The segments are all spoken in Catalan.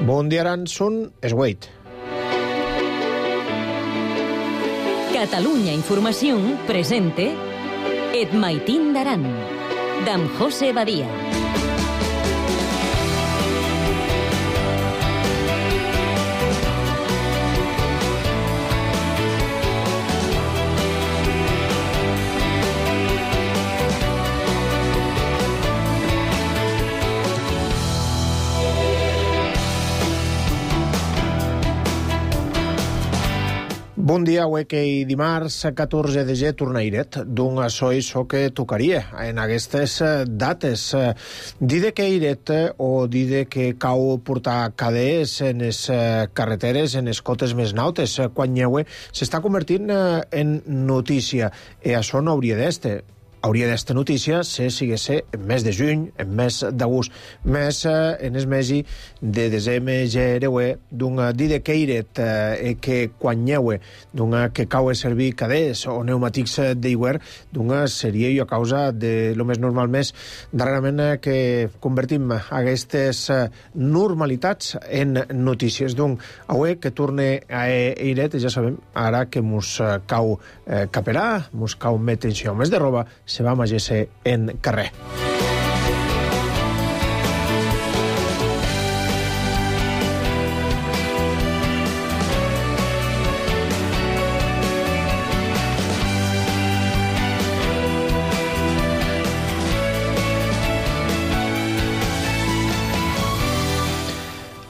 Bon dia, Aranson, és Wade. Catalunya Información presente Et Maitín d'Aran, d'en José Badia. Bon dia, avui que dimarts 14 de gener tornairet d'un açò que tocaria en aquestes dates. Dide que iret o dide que cau portar cadees en les carreteres, en les cotes més nautes, quan lleue s'està convertint en notícia. I això no hauria d'este. Hauria d'esta notícia si siguesse en mes de juny, en mes d'agost, més en el mesi de desembre, gereue, d'un dide que iret que quan lleue, d'un que cau a servir cadets o pneumàtics d'aigüer, d'un seria a causa de lo més normal més darrerament que convertim aquestes normalitats en notícies. D'un avui que torne a iret, ja sabem, ara que mos cau caperà, mos cau més tensió, més de roba, se va magese en carrer.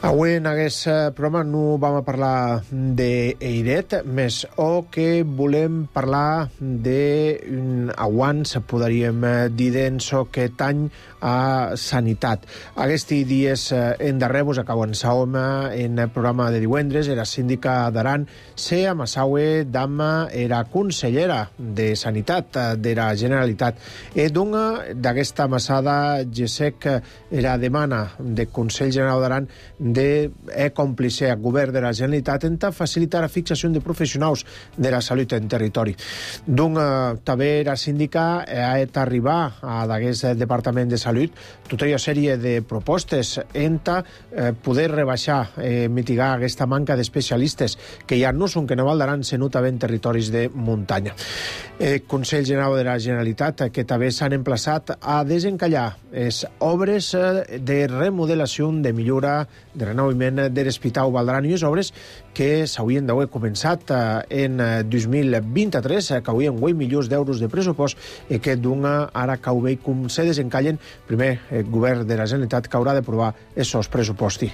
Avui en aquest programa no vam a parlar d'Eiret, més o que volem parlar d'un aguant, podríem dir d'ençò que tany a sanitat. Aquests dies endarrere acaben saom en el programa de divendres, era síndica d'Aran, se amassaue dama era consellera de Sanitat de la Generalitat. E d'una d'aquesta amassada, ja sé que era demana del Consell General d'Aran de còmplice al govern de la Generalitat en facilitar la fixació de professionals de la salut en territori. També la síndica ha d'arribar a d'aquest Departament de Salut tota una sèrie de propostes en poder rebaixar, mitigar aquesta manca d'especialistes que ja no són que no valdran se nota en territoris de muntanya. El Consell General de la Generalitat que també s'han emplaçat a desencallar les obres de remodelació, de millora, de renovament de l'Hospital Valdran, i les obres que s'haurien d'haver començat en 2023, que haurien 8 milions d'euros de pressupost, i que ara que ho veig com se desencallen, primer el govern de la Generalitat que haurà d'aprovar aquests pressupostos.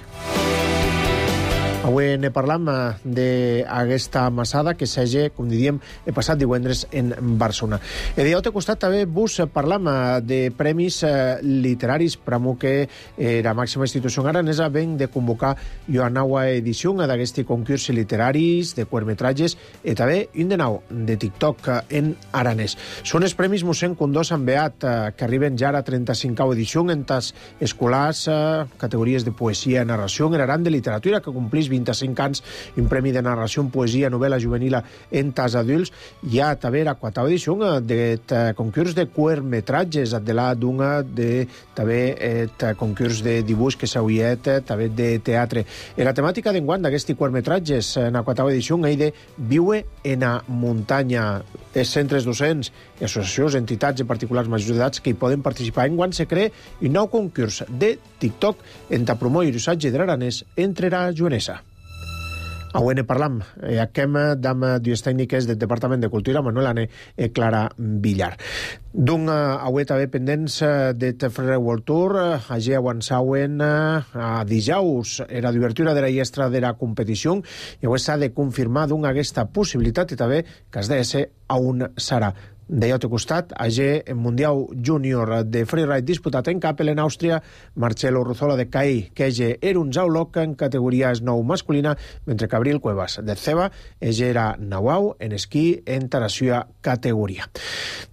Avui ne parlam d'aquesta amassada que s'hagi, com diríem, el passat divendres en Barcelona. I d'altre costat també vos parlam de premis literaris, pramo que la màxima institució aranesa ven de convocar una nova edició d'aquests concurs literaris de curtmetratges i també un de nou de TikTok en aranès. Són els premis mossèn Condó Sant Beat que arriben ja a la 35a edició en tas escolars, categories de poesia i narració en Aran de literatura que complís 25 anys, un premi de narració, poesia, novel·la juvenil en tas adults. Hi ha també la 4a edició de concurs de curtmetratges, de la d'una de també concurs de dibuix que s'hauria també de teatre. I la temàtica d'enguany d'aquests curtmetratges en la 4a edició és de viure en la muntanya. Els centres docents i associacions, entitats i particulars majors d'edats que hi poden participar. Enguany se crea un nou concurs de TikTok en promoure l'usatge de l'aranès entre la jovenesa. Avui ne parlam amb dues tècniques del Departament de Cultura, Manuel Ané i Clara Villar. Avui també pendents de Ferrer World Tour, allà avançauen a dijous era d'obertura de la llestra de la competició i avui s'ha de confirmar aquesta possibilitat i també que es de ser a on serà. D'altre costat, allà en Mundial Júnior de Freeride disputat en Kappel, en Àustria, Marcelo Ruzola de CAI, que era un Zauloc en categoria snow masculina, mentre que Abril Cuevas de Ceba era Nauau en esquí en taració categoria.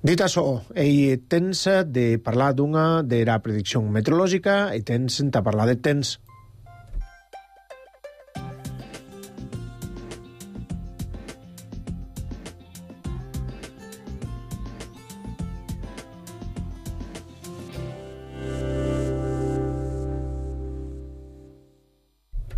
Dit això, tens de parlar de la predicció meteorològica i tens de parlar de temps.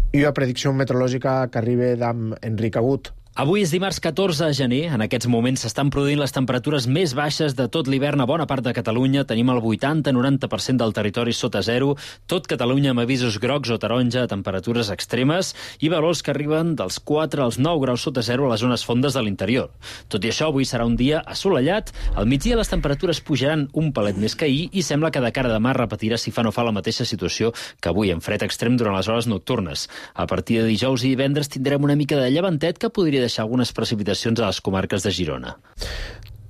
I la predicció meteorològica que arriba d'en Enric Agut. Avui és dimarts 14 de gener. En aquests moments s'estan produint les temperatures més baixes de tot l'hivern a bona part de Catalunya. Tenim el 80-90% del territori sota zero. Tot Catalunya amb avisos grocs o taronja a temperatures extremes i valors que arriben dels 4 als 9 graus sota zero a les zones fondes de l'interior. Tot i això, avui serà un dia assolellat. Al migdia les temperatures pujaran un palet més que ahir i sembla que de cara a demà repetirà si fa no fa la mateixa situació que avui, amb fred extrem durant les hores nocturnes. A partir de dijous i divendres tindrem una mica de llevantet que podria deixar algunes precipitacions a les comarques de Girona.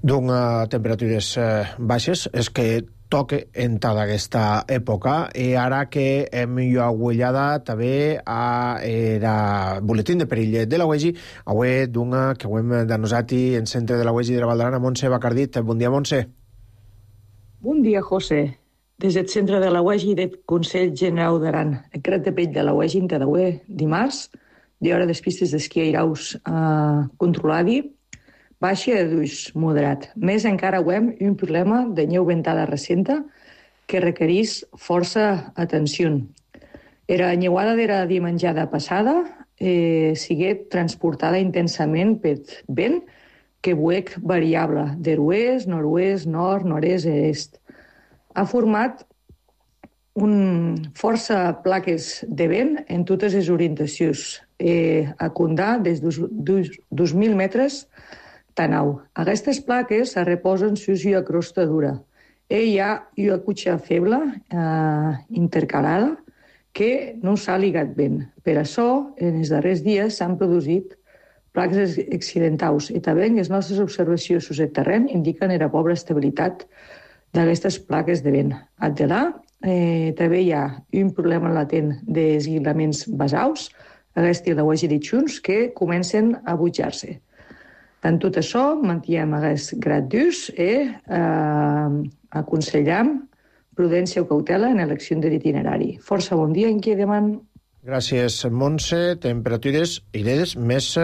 Doncs temperatures baixes és que toca entrar d'aquesta època i ara que hem agullada també a el boletín de perill de la UEGI, avui d'una que ho hem denosat en centre de la UEGI de la Val d'Aran, Montse Bacardit. Bon dia, Montse. Bon dia, José. Des del centre de la UEGI del Consell General d'Aran, el cret de pell de la UEGI entre d'avui dimarts, d'hora de pistes d'esquí airaus controladi, baixa de d'uix moderat. Més encara avem un problema de neu ventada recenta que requereix força atenció. Era neuada de la dimenjada passada sigué transportada intensament per vent que buec variable d'oest, nord-oest, nord, nord-est i est. Ha format força plaques de vent en totes les orientacions, a condar des de 2.000 metres tanau. Aquestes plaques es reposen sus una crosta dura. Hi ha una cutxa feble intercalada que no s'ha ligat ben. Per això, en els darrers dies s'han produït plaques accidentals i també les nostres observacions sus el terreny indiquen la pobra estabilitat d'aquestes plaques de vent. Addelà, també hi ha un problema latent d'esguilaments basals, aquesta la UEGI de Junts, que comencen a butjar-se. En tot això, mantiem aquest grad d'ús i aconsellam prudència o cautela en l'elecció de l'itinerari. Força bon dia en qui deman. Gràcies, Montse. Temperatures iredes més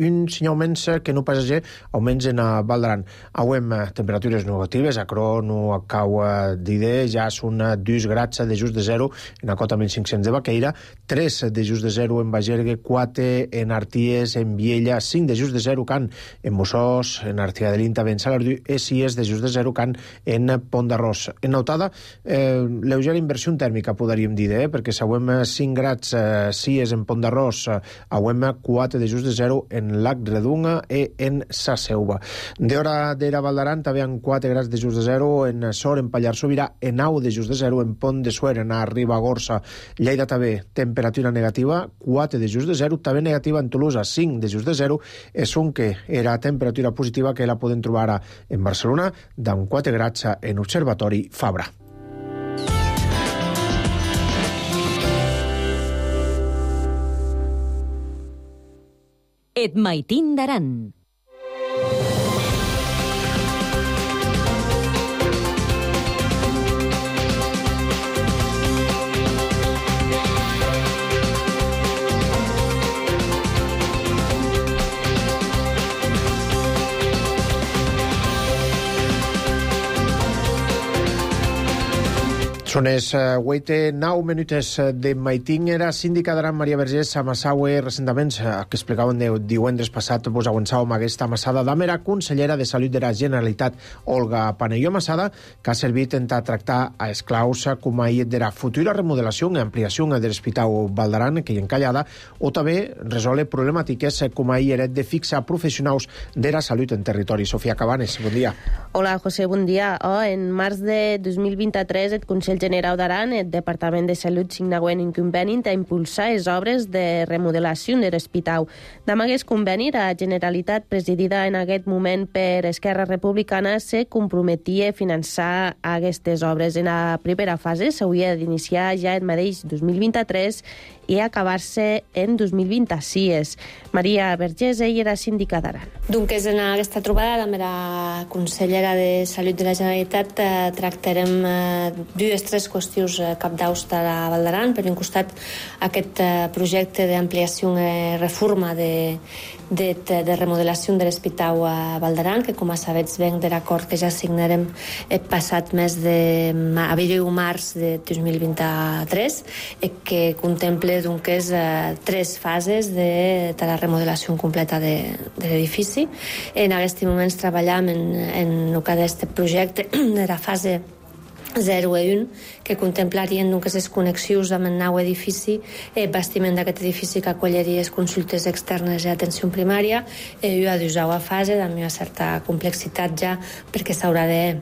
un senyal menys que no passager, almenys en Val d'Aran. Avui temperatures negatives, a Cro no cau d'idea, ja són 2 grads de just de zero en la cota 1500 de Baqueira, 3 de just de zero en Bagergue, 4 en Arties, en Viella, 5 de just de zero can en Mossós, en Artià de l'Inta, en Salardú, i 6 de just de zero can en Pont d'Arròs. En Nautada, lleugera inversió tèrmica, podríem dir, perquè si avui 5 grads 6 en Pont d'Arròs, avui 4 de just de zero en Lac Redunga i en Saseuva. D'hora d'era Val d'Aran també en 4 grads de just de zero en Sor, en Pallars Sobirà, en 9 de just de zero en Pont de Suer, en Ribagorça. Lleida també, temperatura negativa, 4 de just de zero, també negativa en Tolosa, 5 de just de zero, és un que era temperatura positiva que la podem trobar ara en Barcelona, d'en 4 grads en Observatori Fabra. Et Maitín d'Aran. Són les 8-9 minutes de Maitín. Era síndica d'Aran Maria Vergés a Massaue recentament, que explicaven divendres passat, vos avançàvem aquesta Massada d'Amera, consellera de Salut de la Generalitat, Olga Panelló Massada, que ha servit a tractar a esclaus com a de la futura remodelació i ampliació de l'Hospital Val d'Aran, que hi encallada, o també resoldre problemàtiques com a de fixar professionals de la salut en territori. Sofia Cabanes, bon dia. Hola, José, bon dia. En març de 2023, el Consell General d'Aran, el Departament de Salut signaguen un conveni a impulsar les obres de remodelació de l'hospital. Amb aquest conveni, la Generalitat, presidida en aquest moment per Esquerra Republicana, se comprometia a finançar aquestes obres. En la primera fase s'hauria d'iniciar ja el mateix 2023 i acabar-se en 2026. Maria Vergés, ella era síndica d'Aran. Donc, en aquesta trobada amb la consellera de Salut de la Generalitat tractarem dues tres qüestions cabdaus de la Val d'Aran. Per un costat, aquest projecte d'ampliació i reforma de remodelació de l'Hospital a Val d'Aran, que com a sabets venc de l'acord que ja signarem passat mes de abril-març de 2023, que contempla doncs, 3 fases de la remodelació completa de l'edifici. En aquest moment treballem en el que d'aquest projecte de la fase 0 i 1, que contemplarien les connexions amb el nou edifici, bastiment d'aquest edifici que acolliria les consultes externes i atenció primària, i a la fase amb una certa complexitat ja, perquè s'haurà de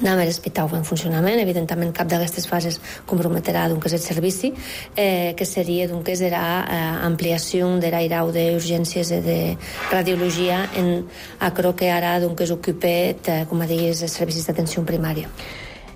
anar a l'hospital en funcionament. Evidentment, cap d'aquestes fases comprometerà el servici, que seria l'ampliació de l'airau d'urgències i de radiologia en aquello que ara ocupa, com a diguis, els servicis d'atenció primària.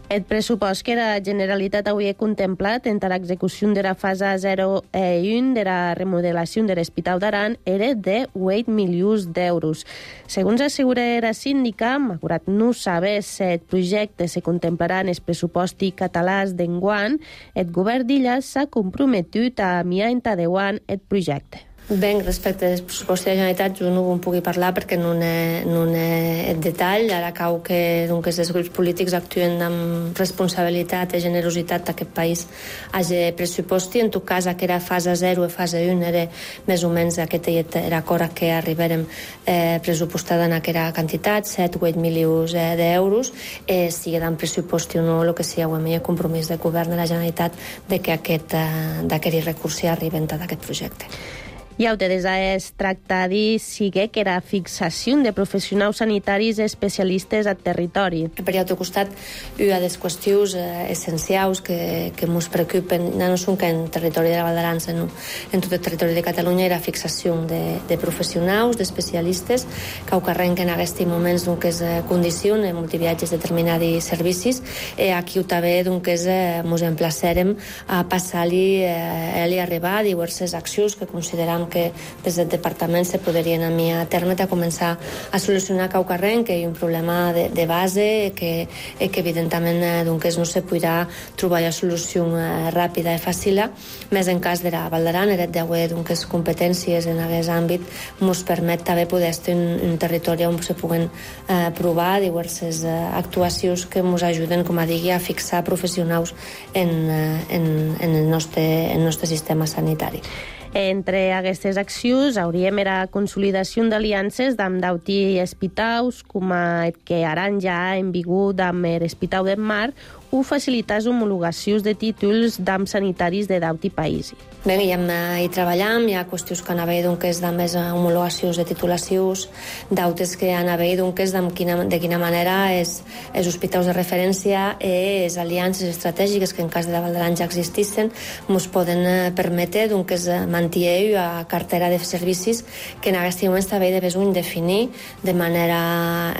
El pressupost que la Generalitat avui ha contemplat en l'execució de la fase 0 i 1 de la remodelació de l'Hospital d'Aran era de 8 milions d'euros. Segons assegura la síndica, malgrat no saber si el projecte se contemplarà en el pressupost català d'enguany, el govern d'Illa s'ha comprometut a mirar en endavant el projecte. Ben, respecte al pressupost de la Generalitat, jo no en pugui parlar perquè no n'he el detall. Ara cau que els grups polítics actuen amb responsabilitat i generositat d'aquest país hagi pressuposti. En tot cas, aquella fase 0 i fase 1 era més o menys aquest acord que arribarem pressupostada en aquella quantitat, 7 o 8 milions d'euros. Si hi ha pressuposti o no, el que sí hi ha compromís del govern de la Generalitat de que d'aquest recurs arriben a aquest projecte. I des es tracta de sigue que la fixació de professionals sanitaris especialistes al territori. Per altre costat, una de les qüestions essencials que ens preocupen, no són que en el territori de la Val d'Aran, sinó en tot el territori de Catalunya, era la fixació de professionals, d'especialistes, que ocorren aquests moments que condiciona multiviatges de determinats servicis. Aquí també ens emplaçarem a passar-li a arribar a diverses accions que considerem que des del departament se podrien enviar a terme a començar a solucionar cau carrer, que hi ha un problema de base que evidentment no se podrà trobar la solució ràpida i fàcil, més en cas de la Val d'Aran, el d'haver competències en aquest àmbit ens permet també poder estar en un territori on se puguen provar diverses actuacions que ens ajuden, com a digui, a fixar professionals en el nostre sistema sanitari. Entre aquestes accions hauríem la consolidació d'aliances amb d'auti hospitals, com el que ara ja ha en vigor amb l'Hospital del Mar, o facilitar homologacions de títols d'AMP sanitaris de d'auti país. Bé, hi treballem, hi ha qüestions que han haver de més homologacions de titulacions, d'altres que han haver de quina manera els hospitals de referència i les aliances estratègiques que en cas de la Val d'Aran ja existissin ens poden permetre mantenir a cartera de servicis que en aquest moment també de besoin definir de manera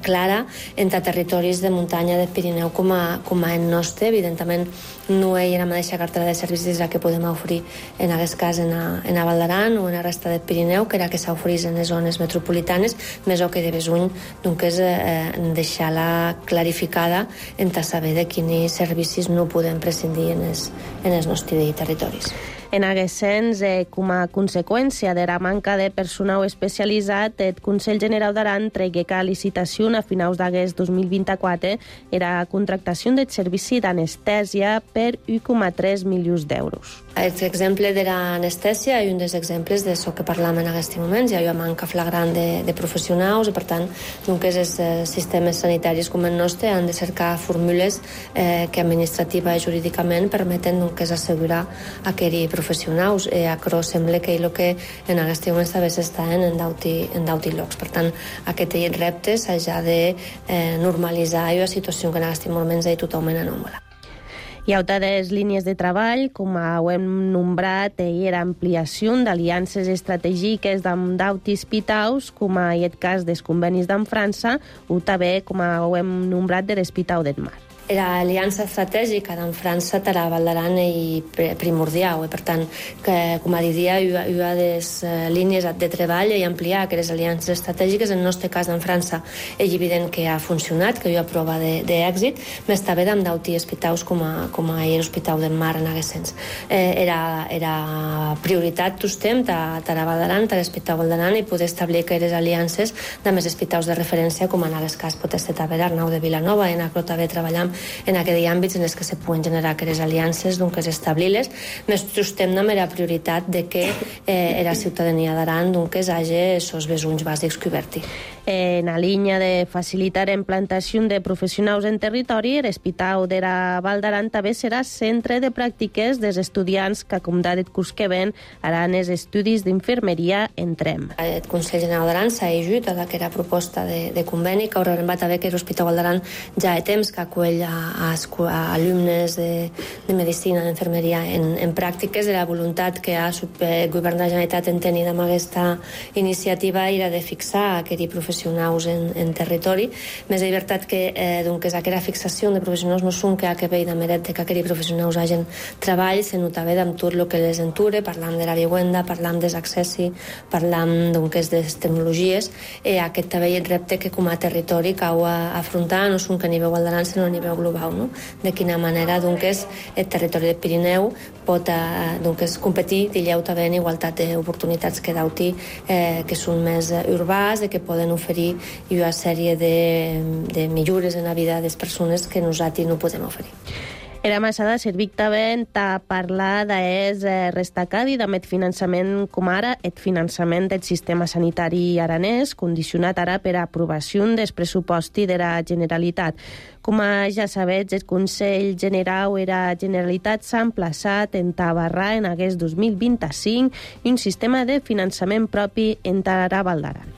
clara entre territoris de muntanya del Pirineu com a el nostre. Evidentment no hi ha la mateixa cartera de servicis la que podem oferir en aquest cas en la Val d'Aran o en la resta del Pirineu, que era que s'oferís en les zones metropolitanes, més o que de besoin deixar-la clarificada en saber de quins servicis no podem prescindir en els nostres territoris. En aquest sens, com a conseqüència de la manca de personal especialitzat, el Consell General d'Aran tregué a licitació a finals d'agost 2024 la contractació del servici d'anestèsia per 1,3 milions d'euros. L'exemple de l'anestèsia és un dels exemples d'això que parlem en aquests moments. Hi ha una manca flagrant de professionals i, per tant, els sistemes sanitaris com el nostre han de cercar fórmules que administrativa i jurídicament permeten assegurar aquells professionals. Però sembla que el que en aquests moments també s'està en d'auti llocs. Per tant, aquests reptes s'ha de normalitzar una situació que en aquests moments és totalment anòmala. Hi ha altres línies de treball, com ho hem nombrat, l'ampliació d'aliances estratègiques amb d'auti hospitals, com en el cas dels convenis d'en França, o també, com ho hem nombrat, de l'Hospital del Mar. era aliança estratègica d'en França tara Val d'Aran i primordial. Per tant, com a diria, una de les línies de treball i ampliar aquestes aliances estratègiques. En el nostre cas, en França, és evident que ha funcionat, que hi ha prova d'èxit, més també d'en d'auti hospitals com a l'Hospital del Mar en aquest sens. Era prioritat tostem tara Val d'Aran, tara l'Hospital Val d'Aran, i poder establir aquestes aliances de més hospitals de referència, com en el cas pot ser també l'Arnau de Vilanova, en el que també treballam en aquells àmbits en els que se poden generar aquestes aliances, doncs establir-les. Més tostem amb la prioritat de que la ciutadania d'Aran hagi els besuns bàsics coberts. En la línia de facilitar la implantació de professionals en territori, l'Hospital de la Val d'Aran també serà centre de pràctiques dels estudiants que, com d'aquest curs que ven, faran els estudis d'infermeria en TREM. El Consell General d'Aran s'ha ajut a aquesta proposta de conveni que haurà arribat a veure que l'Hospital Val d'Aran ja ha temps que acull a alumnes de medicina, d'infermeria en pràctiques, de la voluntat que el govern de la Generalitat en tenir amb aquesta iniciativa era de fixar aquests professionals en territori. Més de veritat que aquesta fixació de professionals no són que ve de meret que aquests professionals hagin treball, sinó també amb tot el que les enture, parlam de la vivenda, parlam dels accessi, parlam de les tecnologies. Aquest també és el repte que com a territori cau a afrontar, no són que a nivell Val d'Aran, sinó a nivell global, no? De quina manera el territori del Pirineu pot competir i també en igualtat d'oportunitats que d'auti que són més urbans, que poden oferir una sèrie de millores en la vida de les persones que nosaltres no podem oferir. Era Massada servit també a parlar del restacadi d'aquest finançament com ara el finançament del sistema sanitari aranès, condicionat ara per aprovació del pressuposti de la Generalitat. Com ja sabeu, el Consell General de la Generalitat s'ha emplaçat en tabarrar en aquest 2025 un sistema de finançament propi en la Val d'Aran.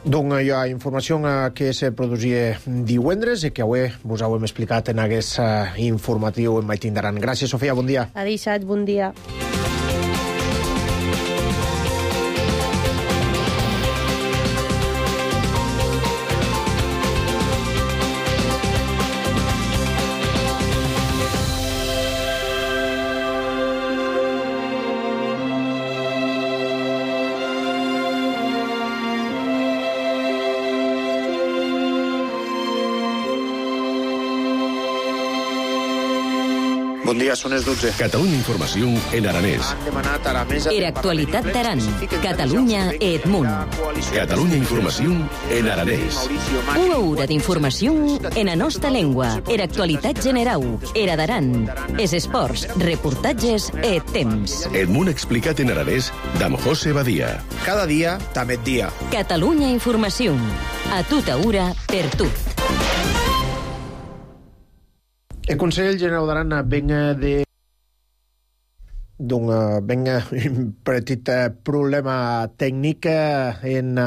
Donc hi ha informació que se produïa divendres i que avui vos ho hem explicat en aquest informatiu en Maitín d'Aran. Gràcies, Sofia, bon dia. Adéu, bon dia. Bon dia, són les 12. Catalunya Informació en aranès. Han demanat a la mesa... Era actualitat d'Aran. Catalunya Edmunt. Catalunya Informació en aranès. Una hora d'informació en la nostra llengua. Era actualitat general. Era d'Aran. Es esports, reportatges e temps. Edmunt explicat en aranès d'en José Badia. Cada dia, també dia. Catalunya Informació. A tota hora, per tot. El Consell General d'Aran venga de un petit problema tècnic amb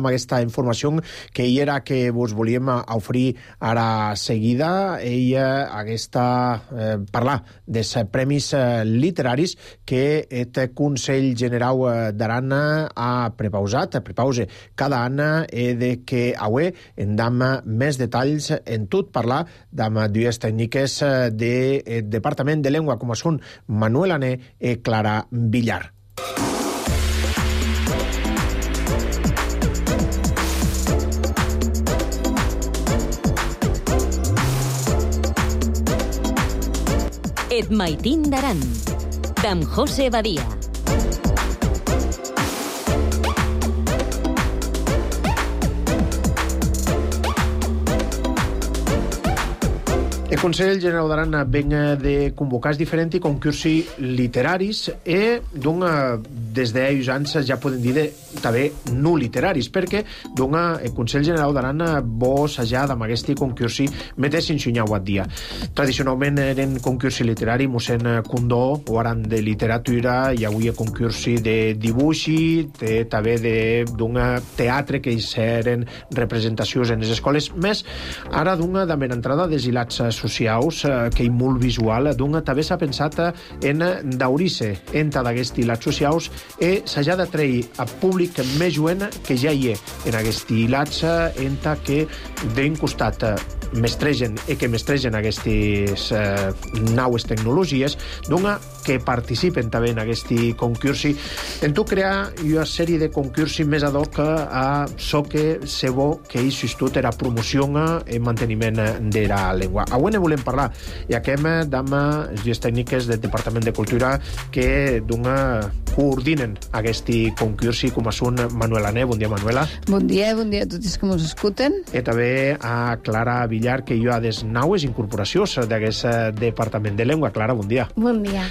aquesta informació que hi era que vos volíem oferir ara seguida. Ella parlar dels premis literaris que el Consell General d'Aran ha prepausa cada any de que avui en dam més detalls en tot parlar d'amb dues tècniques del Departament de Llengua com són Manuel Ané i Clara Villar. Et Maitín d'Aran, d'en José Badia. El Consell General d'Aran venga de convocar diferents concursos literaris i des d'ells anys ja podem dir també no literaris, perquè el Consell General d'Aran vol assajar amb aquest concurs metes ensenyau a dia. Tradicionalment eren concursos literaris, mossèn Condó, o aran de literatura, i avui concurs de dibuix, també d'un teatre que hi eren representacions en les escoles, més ara d'una entrada dels hilats socials socials, que hi molt visual, d'un també s'ha pensat en daurice enta d'aquesti lats socials e s'ha de treure a públic més joven que ja hi en aquesti lats enta que d'un costat mestregen i que mestregen aquestes naues tecnologies, d'una que participen també en aquest concursi. En tu crear una sèrie de concursi més ad hoc a so que se bo que hi s'estut era promoció i manteniment de la llengua. Avui ne volem parlar i aquem amb les tècniques del Departament de Cultura que coordinen aquest concursi, com són Manuela Ne. Bon dia, Manuela. Bon dia a tots que ens escuten. I també a Clara Villar, que hi ha des naues incorporacions d'aquest Departament de Llengua. Clara, bon dia. Bon dia.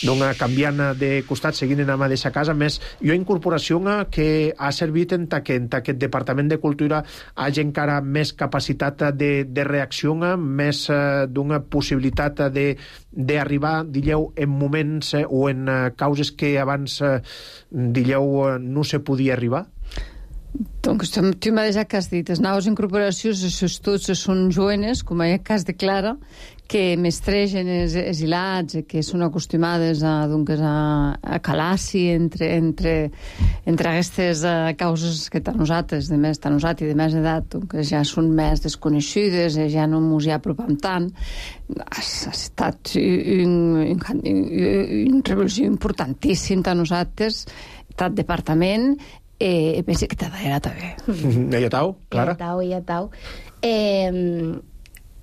Donc, canviant de costat, seguint en la mateixa casa, més hi ha incorporació que ha servit en aquest Departament de Cultura hagi encara més capacitat de reacció, més d'una possibilitat d'arribar, digueu, en moments o en causes que abans, digueu, no se podia arribar? Donc, tu mateix que has dit, les noves incorporacions, els tots són jovenes, com en el cas de Clara, que mestregen els hilats, que són acostumades a calar-s'hi entre aquestes causes que tant nosaltres, de més edat, que ja són més desconeixudes, ja no ens hi apropem tant. Ha estat una revolució importantíssima tant nosaltres, tant departament, penso que t'agrada també. I a tau, Clara? I a tau.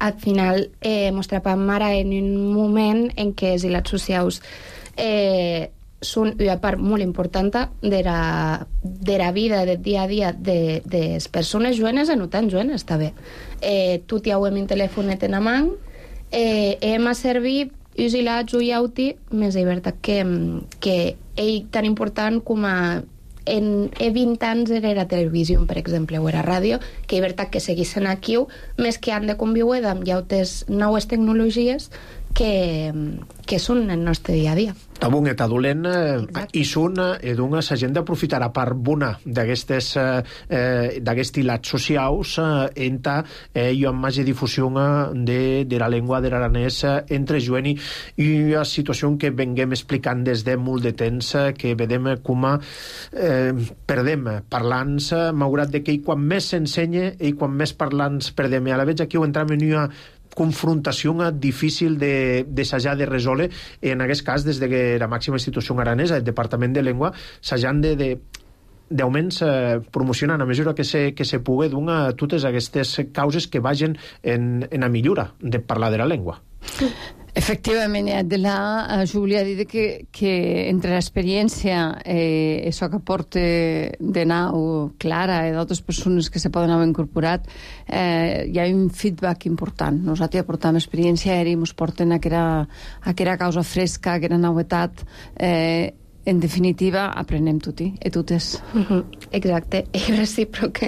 Al final ens trobem ara en un moment en què els ilats socials són una part molt important de la vida del dia a dia de les persones jovenes i no tan jovenes també. Tot ja ho hem en telefonet en mà, hem a servir els ilats o iauti més de veritat que ell tan important com a en 20 anys era la televisió, per exemple, o era ràdio, que és veritat que seguissin aquí, més que han de conviure amb llautes noves tecnologies que són el nostre dia a dia. Tabun et adolent i són d'una s'agent d'aprofitar a part bona d'aquests lats socials enta hi ha més difusió de la llengua de l'aranès entre joven i una situació que venguem explicant des de molt de temps que vedem com perdem parlants, malgrat que quan més s'ensenya i quan més parlants perdem. I a la vegada aquí ho entrem en una confrontació difícil d'assajar de resoldre. En aquest cas, des de que la màxima institució aranesa, el Departament de Llengua, s'hajan d'augments promocionant a mesura que se pugui totes aquestes causes que vagin en la millora de parlar de la llengua. Efectivament, jo volia dir que entre l'experiència això que porta de nou Clara i d'altres persones que se poden haver incorporat, hi ha un feedback important. Nosaltres ja portem experiència i ens porten a aquella causa fresca, a aquella novetat. En definitiva, aprenem tutti i totes. Exacte, és recíproc.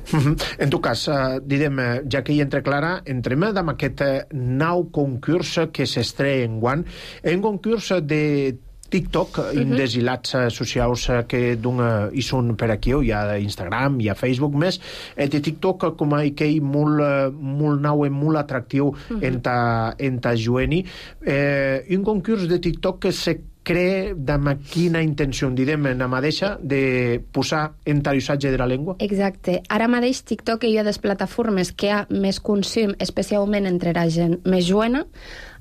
En tot cas, direm, ja que hi entra Clara, entrem amb aquest nou concurs que s'estrena enguany, un concurs de TikTok, des ilats socials que hi són per aquí, hi ha Instagram, hi ha Facebook més, de TikTok com a que molt nou i molt atractiu enta jueni. Un concurs de TikTok que se crea amb quina intenció, direm, la mateixa de posar entallissatge de la llengua? Exacte. Ara mateix TikTok hi ha des plataformes que hi ha més consum, especialment entre la gent més jovena.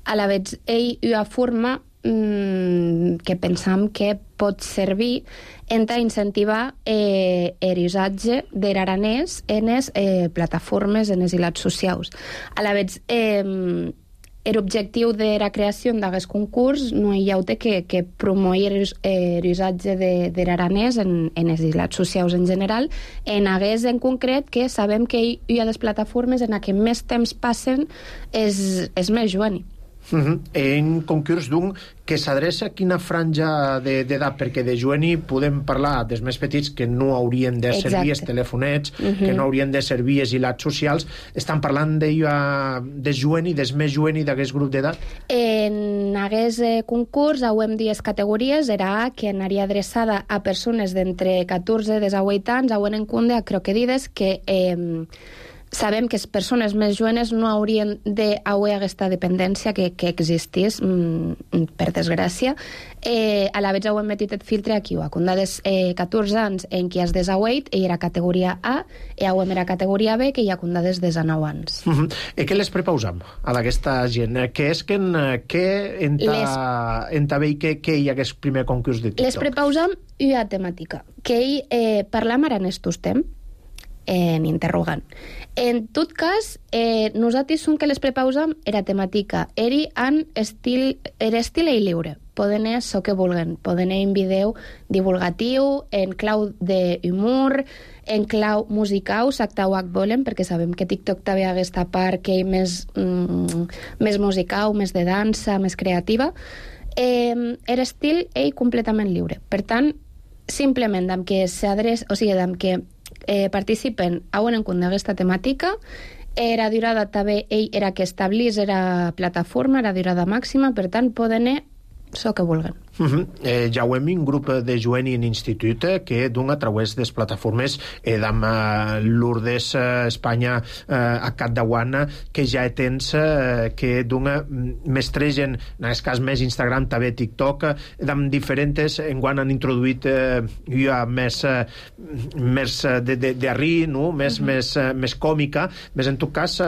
A la vegada, ell hi ha forma que pensam que pot servir en incentivar l'usatge de l'aranès en les plataformes, en les ilats socials. A la vegada, l'objectiu de la creació d'aquest concurs no hi ha que promoure l'usatge de l'aranès en les ilats socials en general, en hagués en concret que sabem que hi ha les plataformes en què més temps passen és més jovent. En concurs d'un que s'adreça a quina franja d'edat, perquè de jueni podem parlar dels més petits que no haurien de ser vies telefonets, que no haurien de ser vies hilats socials. Estan parlant de jueni, des més jueni d'aquest grup d'edat? En aquest concurs auem 10 categories, era A, que anaria adreçada a persones d'entre 14 i 18 anys, auem en compte a croquedides que sabem que les persones més jovenes no haurien d'haver aquesta dependència que existís, per desgràcia. A la vegada ho hem metit el filtre aquí, a condades 14 anys en qui has de 18, i era categoria A, i ho era categoria B, que hi ha condades de 9 anys. I què les prepausam a aquesta gent? Què és que enta bé que hi ha aquest primer concurs de TikTok? Les prepausam una temàtica, que ell parlam aranès tostem, en interrogant. En tot cas, nosaltres som que les prepausam era temàtica. Era estil i lliure. Poden ser això que vulguen. Poden ser en video divulgatiu, en clau d'humor, en clau musical, s'actau que volen, perquè sabem que TikTok també ha aquesta part que és més musical, més de dansa, més creativa. Era estil ell completament lliure. Per tant, simplement amb que s'adreça, o sigui, amb que participen a un encunt d'aquesta temàtica, era durada també, ell era que establís era plataforma, era durada màxima, per tant poden anar això que vulguen. Ja ho hem un grup de jueni en institut que d'un a través de les plataformes d'am Lourdes Espanya a Cat d'Aguana, que ja tens que d'un mestregen, en aquest cas més Instagram, també TikTok, d'am diferents, enguany han introduït ja més de rir, no? més còmica, més en tot cas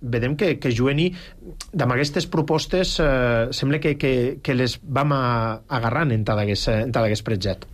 vedem que jueni d'am aquestes propostes sembla que les vam agarrant en tot aquest projecte.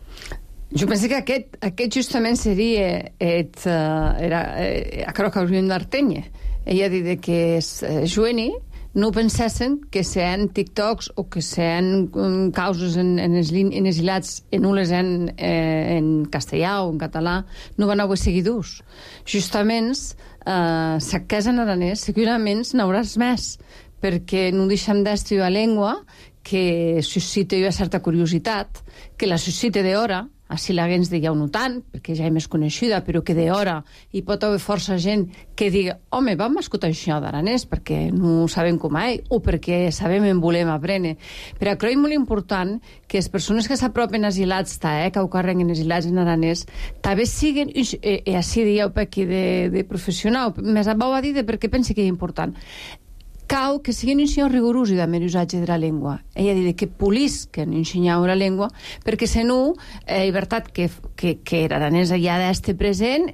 Jo penso que aquest justament seria aquello que hauríem d'artenye. Ella ha dit que jueni no pensessin que sean TikToks o que sean causes en els hilats en unes en castellà o en català, no van haver seguidors. Justament, si que és en aranès, segurament n'hauràs més, perquè no deixem d'estudiar la llengua que suscita una certa curiositat, que la suscita d'hora, així la gent diu no tant, perquè ja és més coneixida, però que d'hora hi pot haver força gent que digui, home, vam escoltar això d'aranès perquè no sabem com és, o perquè sabem en volem aprendre. Però crec molt important que les persones que s'apropen als hilats, que ho carreguen els hilats en aranès, també siguin, i així dieu per aquí de professional, més abans va dir perquè pensi que és important, cal que siguin ensenyar rigorosos de l'usatge de la llengua. Ella dit que polisquen ensenyar la llengua, perquè si no, és veritat que l'aranès ja d'este present,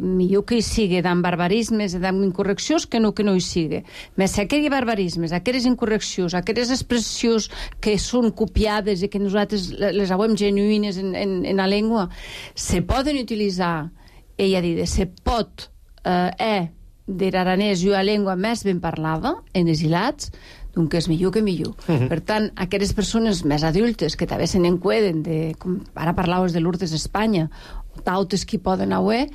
millor que hi sigui d'en barbarismes i d'en incorreccions que no hi sigui. Més aquells barbarismes, aquelles incorreccions, aquelles expressions que són copiades i que nosaltres les hauem genuïnes en la llengua, se poden utilitzar, ella dit, se pot de l'aranès i la llengua més ben parlada en els hilats, doncs és millor que millor. Per tant, aquelles persones més adultes que també se n'encueden, com ara parlaves de Lourdes Espanya, o d'altres que poden haver,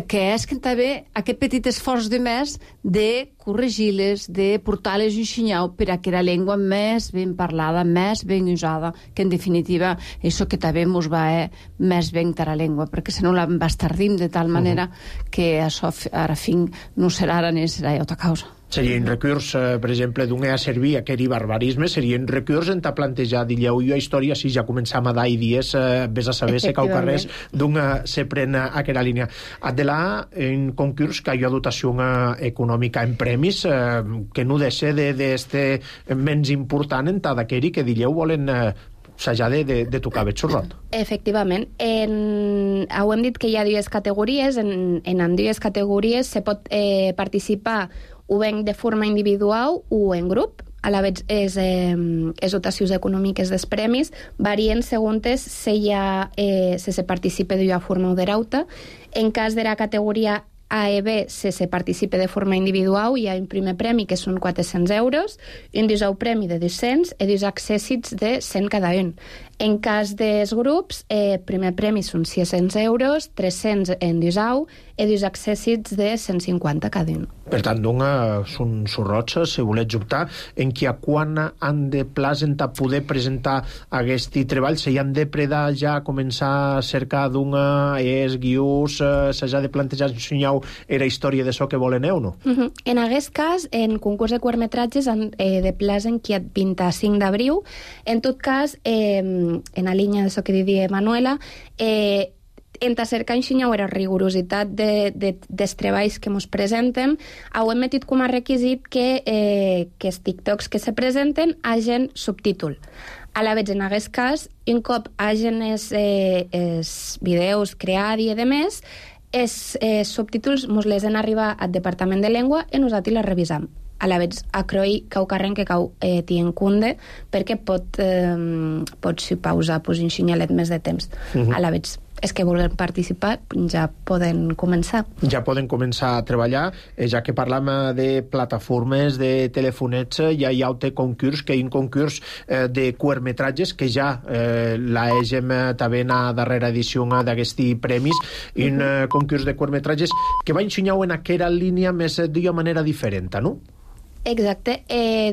que és que també aquest petit esforç de més de corregir-les, de portar-les un senyal per a que la llengua més ben parlada, més ben usada, que en definitiva això que també ens va més ben que la llengua, perquè si no la bastardim de tal manera que això ara fin no serà aranès, serà altra causa. Seria un recurs, per exemple, d'un a servir aquell barbarisme, seria un recurs en ta plantejar, dilleu, jo història, si ja començam a dar dies, ves a saber se cau carrers d'un se pren a aquella línia. Adelà, un concurs que hi ha dotació econòmica en premis, que no deixa d'este menys important en ta d'aquell que dilleu volen s'ha de tocar bé xurrot. Efectivament. Ho hem dit que hi ha dues categories. En dues categories se pot participar o ben de forma individual o en grup. A la vegada, les dotacions econòmiques dels premis varien segons si se participa d'una forma o de l'altra. En cas de la categoria A i B, si se participa de forma individual, hi ha un primer premi que són 400 euros, un segon premi de 200 i dos accèssits de 100 cada un. En cas dels grups, primer premi són 600 euros, 300 en disau i dos accèssits de 150 cada un. Per tant, són sorrots, si volets optar, en qui a quan han de presenta poder presentar aquest treball, si han de predar ja començar a cercar guius, s'ha de plantejar era història de so que volen o no? En aquest cas, en concurs de curtmetratges de plaç en qui 25 d'abril. En tot cas, en la línia de so que diria Manuela, en cercar era rigorositat dels treballs que ens presenten, heu metit com a requisit que els TikToks que se presenten hagin subtítol. A la vegada, en aquest cas, un cop hagin els vídeos creats i demés, els subtítols ens les han arribat al Departament de Llengua i nosaltres les revisam. A la vegada, a Croi cau carren que cau tien cunde perquè pot pausar un xinyalet més de temps. A la vegada, els que vulguin participar ja poden començar. Ja poden començar a treballar, ja que parlam de plataformes, de telefonets, ja hi ha un concurs, que hi ha un concurs de curtmetratges, que ja l'hagem també a darrera edició d'aquests premis, un concurs de curtmetratges que va ensenyar en aquella línia més d'una manera diferent, no? Exacte.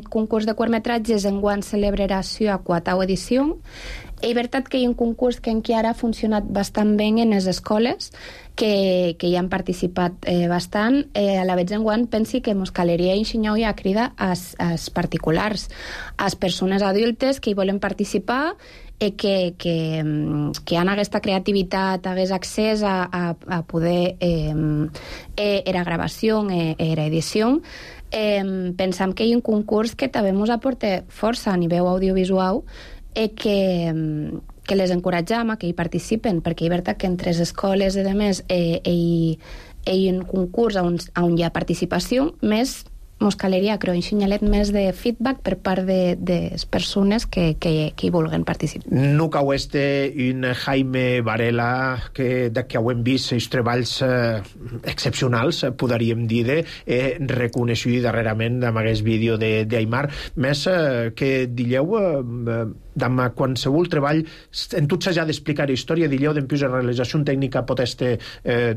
Concurs de curtmetratges enguany celebrarà a 4ª edició. És veritat que hi ha un concurs que encara ha funcionat bastant bé en les escoles, que hi han participat bastant. A la vegada enguany pensi que ens caleria ensenyar i a cridar als particulars, a les persones adultes que hi volen participar i que han aquesta creativitat, hagués accés a poder era gravació, era edició. Pensam que hi ha un concurs que també ens aporta força a nivell audiovisual i que les encoratjam a que hi participen, perquè és veritat que entre les escoles i demés hi ha un concurs on hi ha participació, més mos caleria, creo, un xinyalet més de feedback per part de les persones que hi vulguen participar. No cau un Jaime Varela que ho hem vist els treballs excepcionals, podríem dir, reconeixut darrerament amb aquest vídeo d'Aimar, més que dilleu amb qualsevol treball en tot s'ha d'explicar història, dilleu d'empius de realització tècnica pot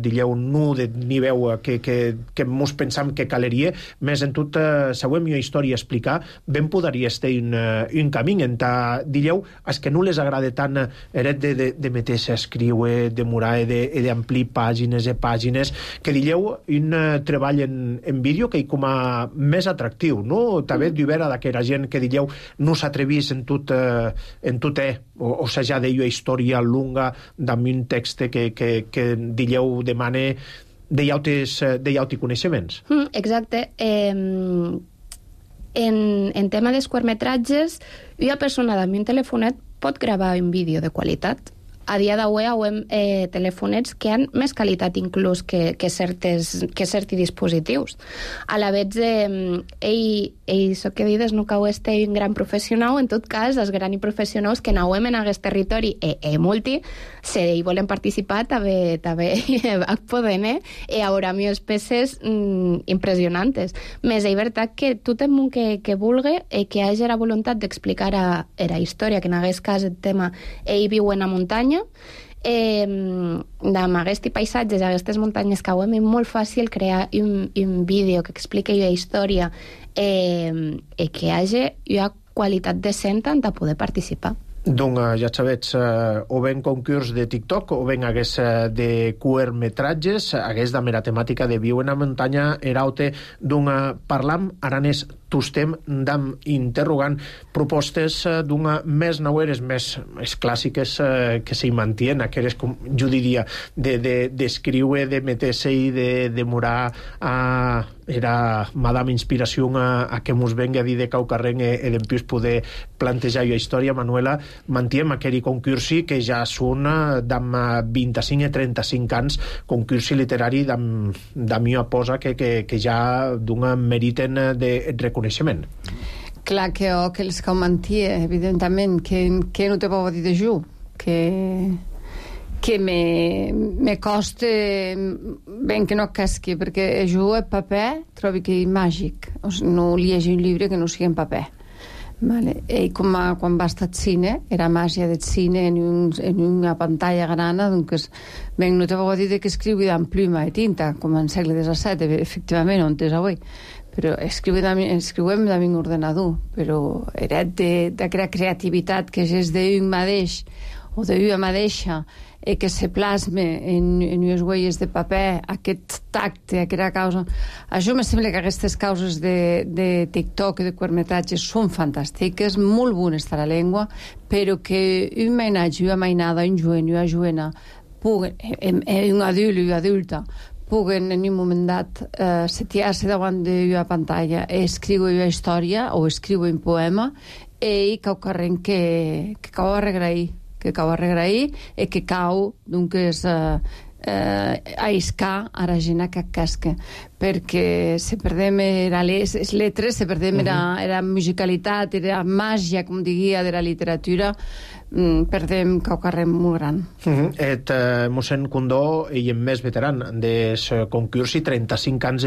dilleu nu de nivell que mos pensam que caleria, més en tot següent una història a explicar, ben podria estar un camí en dilleu, és que no les agrada tant eret de meter-se a escriure, de murar i d'amplir pàgines i pàgines, que dilleu un treball en vídeo que hi com a més atractiu, no? També d'hivera d'aquella gent que dilleu no s'atrevís en tot o s'ha d'ella història lunga amb un text que dilleu demane d'altres coneixements. Exacte. En tema dels curtmetratges, una persona amb un telefonet pot gravar un vídeo de qualitat. A dia d'avui hem telefonets que han més qualitat inclús que certs dispositius. A la vegada, això que dius, no cau un gran professional, en tot cas, els grans professionals que anauem en aquest territori multi, si hi volen participar, també poden, i haurà més peces impressionants. Més és veritat que tothom que vulgui i que hagi la voluntat d'explicar la història, que en aquest cas el tema viu en la muntanya, amb aquests paisatges, aquestes muntanyes que és molt fàcil crear un vídeo que expliqui la història i que hi hagi una qualitat decent de poder participar. Doncs ja sabets, o ben concurs de TikTok o ben hagués de curtmetratges, hagués de mera temàtica de viu en la muntanya eraute parlam aranès tostem d'am interrogant propostes d'una més naueres, més clàssiques que s'hi mantien, aquelles, com jo diria, d'escriure, de meter-se i de demorar era Madame Inspiració a que mos venga a dir de Caucarrenc i d'empius poder plantejar la història. Manuela, mantiem aquell concursi que ja són d'am 25 i 35 anys, concursi literari d'am una posa que ja d'un meriten de reconeixement. Clar que els que ho mantia, evidentment, que no te puc dir de jo, que me costa ben que no casqui, perquè jo el paper trobo que és màgic. No llegeixo un llibre que no sigui en paper. Vale. E quan va estar al cine, era màgia del cine en una pantalla grana, doncs, ben, no te vau dir que escriu amb pluma i tinta, com en segle XVII, efectivament, on és avui, però escriuem amb un ordenador, però era d'aquella creativitat que és d'un mateix, o d'una mateixa, que se plasme en unes huelles de paper, aquest tacte, aquesta causa. Això me sembla que aquestes causes de TikTok i de curtmetratges són fantàstiques, molt bones per a la llengua, però que un mainatge, una mainada, un joven, una jovena, un adult i una adulta, puguen en un moment dat setiar-se davant d'una pantalla i escriure una història o escriure un poema i cau carrent que cau arregrair i que cau doncs a iscar a la gent que casca, perquè se perdem les lletres, se perdem la musicalitat, la màgia, com diria, de la literatura, perdem cau carrer molt gran. Et mossèn Condó i en més veteran des concurs i 35 anys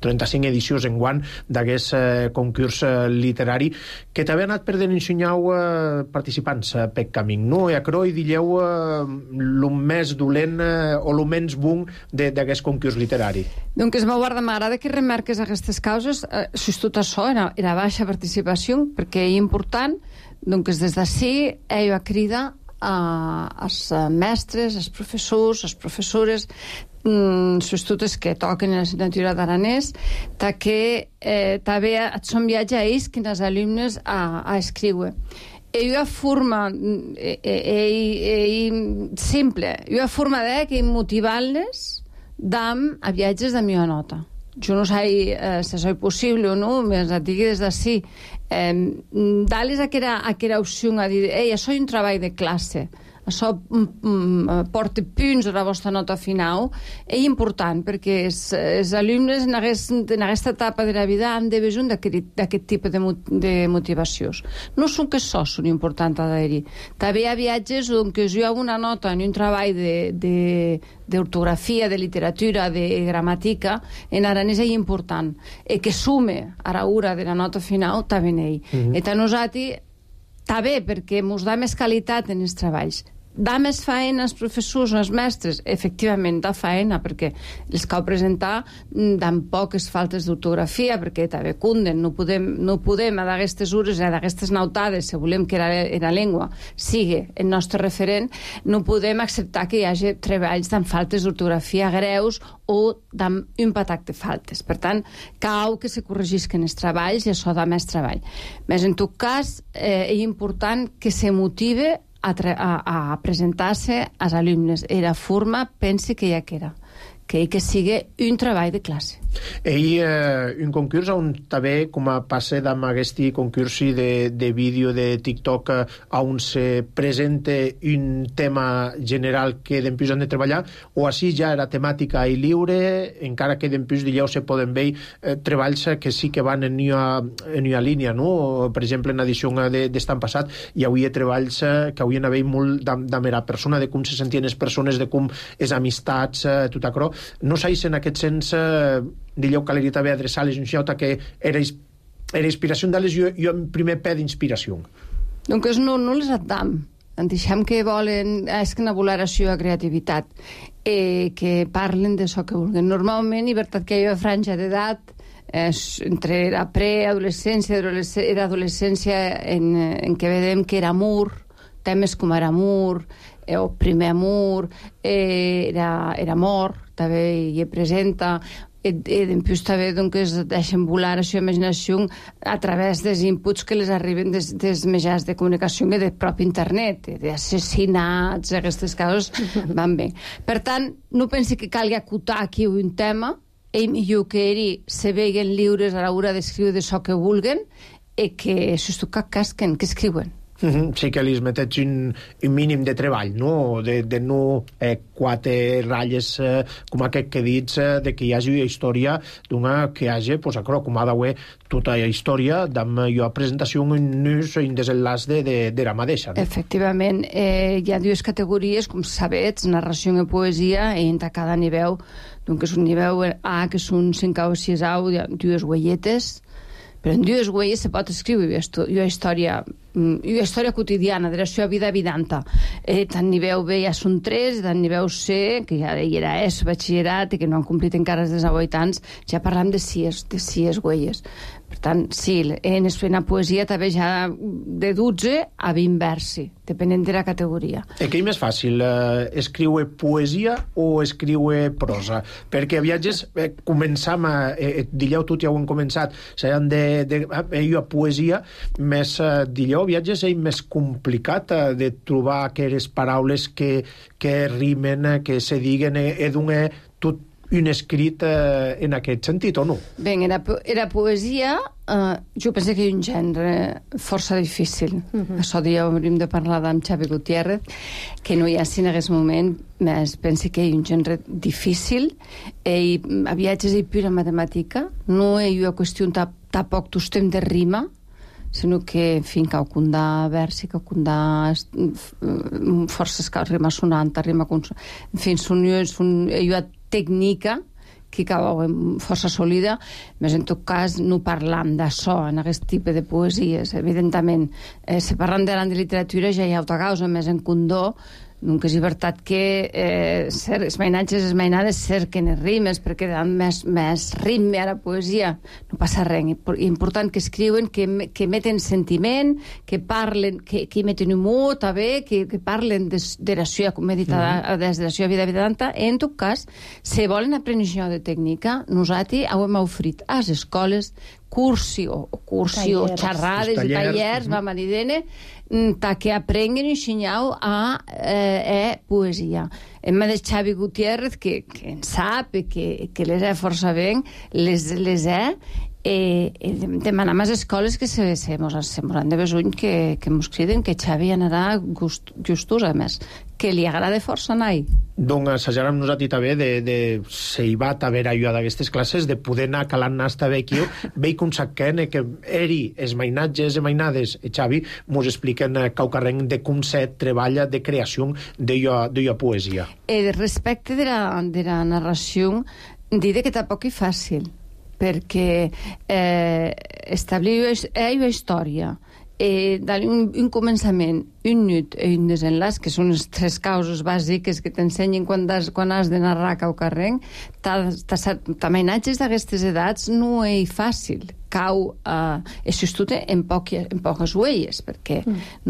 35 edicions enguant d'aquest concurs literari que també ha anat perdent ensenyau participants pel camí, no? I a Croi dilleu el més dolent o el menys bon d'aquest concurs literari. Donc m'agrada que remarques aquestes causes, tot això era baixa participació, perquè és important. Doncs des d'ací ell va cridar als mestres, als professors, als professores, sobretot els que toquen la assignatura d'aranès, que també són viatge a ells que els alumnes a escriure. I una forma simple, una forma que motivar-les a viatges de millor nota. Jo no sé si això és possible o no, més et digui des d'ací. Dar-les aquella opció a dir, això és un treball de classe, això porta punts a la vostra nota final, és important perquè els alumnes en aquesta etapa de la vida han de veure d'aquest tipus de motivacions. No són que això són importants a dir. També hi ha viatges on hi ha una nota en un treball d'ortografia, de literatura, de gramàtica, en aranès és important. I que sume a l'hora de la nota final també en ell. I a nosaltres també perquè ens dà més qualitat en els treballs. Dà més feina als professors, als mestres? Efectivament, dà feina, perquè els cal presentar amb poques faltes d'ortografia, perquè també cunden, no podem a d'aquestes hores, a d'aquestes nautades, si volem que la llengua sigui el nostre referent, no podem acceptar que hi hagi treballs amb faltes d'ortografia greus o amb un patac de faltes. Per tant, cal que se corregisquen els treballs i això dà més treball. Més en tot cas, és important que se motive a presentar-se als alumnes. Era forma, pense que ja que era. Que sigui un treball de classe. Un concurs on també, com a passe amb aquest concurs de vídeo de TikTok, on se presenta un tema general que d'empús han de treballar, o així ja era temàtica i lliure, encara que d'empús d'allò se poden veure treballs que sí que van en una línia, no? Per exemple, en edició d'estan passat hi havia treballs que haurien d'haver molt de la persona, de com se sentien les persones, de com les amistats, tot això. No sé si en aquest sens dilleu caleria també adreçar-les un xota que era inspiració d'elles i un primer pè d'inspiració. Doncs no les adam. En deixem que volen és que una valoració a creativitat que parlen d'això que vulguin. Normalment, i veritat que hi ha franja d'edat entre la preadolescència i l'adolescència en què vedem que era amor, temes com era amor, o primer amor, era amor, també hi presenta, i després també es deixen volar la seva imaginació a través dels inputs que les arriben des mitjans de comunicació i del propi internet, d'assassinats, aquestes coses van bé. Per tant, no pensi que calgui acotar aquí un tema, és millor que ells se veguen lliures a l'hora d'escriure d'això que vulguen i que, sobretot, que casquen, que escriuen. Sí que li metets un mínim de treball, no? De no 4 ratlles com aquest que dits de que hi hagi una història d'una que hi hagi, com ha d'haver tota la història d'una presentació un desenllaç de la mateixa. Efectivament, hi ha dues categories, com sabets, narració i poesia, i entre cada nivell, doncs un nivell A, que són 5 o 6 dues huelletes, Però en dues huelles se pot escriure una història quotidiana de la seva vida evidenta. Tant nivell B ja són 3, tant nivell C, que ja era batxillerat i que no han complit encara els 18 anys, ja parlam de 6 huelles. Per tant, sí, en la poesia també ja de 12 a 20 versi, depenent de la categoria. Què és més fàcil, escriure poesia o escriure prosa? Perquè a viatges començam dilleu tot ja ho han començat, s'han a poesia, més dilleu viatges és més complicat de trobar aquelles paraules que rimen, que se diguen, d'un tot un escrit en aquest sentit, o no? Bé, era poesia, jo penso que és un gènere força difícil. Això dia hauríem de parlar amb Xavi Gutiérrez, que no hi ha en aquest moment, més penso que és un gènere difícil, i a viatges hi pura matemàtica, no és una qüestió tampoc tostem de rima, sinó que, en fi, cau condà versi, cau condà forces rima sonant, rima consonant, en fi, és una tècnica que cau força sòlida, més en tot cas no parlam d'això en aquest tipus de poesies, evidentment. Si parlam de literatura ja hi ha altra causa, més en condó, nunca és veritat que els mainatges i les mainades cerquen les rimes perquè dan més ritme a la poesia. No passa res. És important que escriuen, que meten sentiment, que parlen, que meten humor, també, que parlen de la seva, com he dit, des de la seva vida evidenta. En tot cas, si volen aprendre això de tècnica, nosaltres hem ofert a les escoles cursi o xerrades i tallers, vam dir-ne, que aprenguen i ensenyau a poesia. Hem de Xavi Gutiérrez, que en sap, que les força ben, les demanem a les escoles que se han de besuny que mos criden, que Xavi anarà justos, a més, que li agrada força anar-hi. Doncs assajarem nosaltres també de si hi va haver allò d'aquestes classes, de poder anar calant nas també aquí, veig com saquen que eri els mainatges i mainades, Xavi, mos expliquen caucarrenc de com se treballa de creació d'allò poesia. Respecte de la narració, diré que tampoc és fàcil, perquè establir una història, dar un començament, un nut i un desenlaç, que són les 3 causes bàsiques que t'ensenyen quan has de narrar caucarrenc, mainatges d'aquestes edats no és fàcil. Cau s'estudia en poques huelles, perquè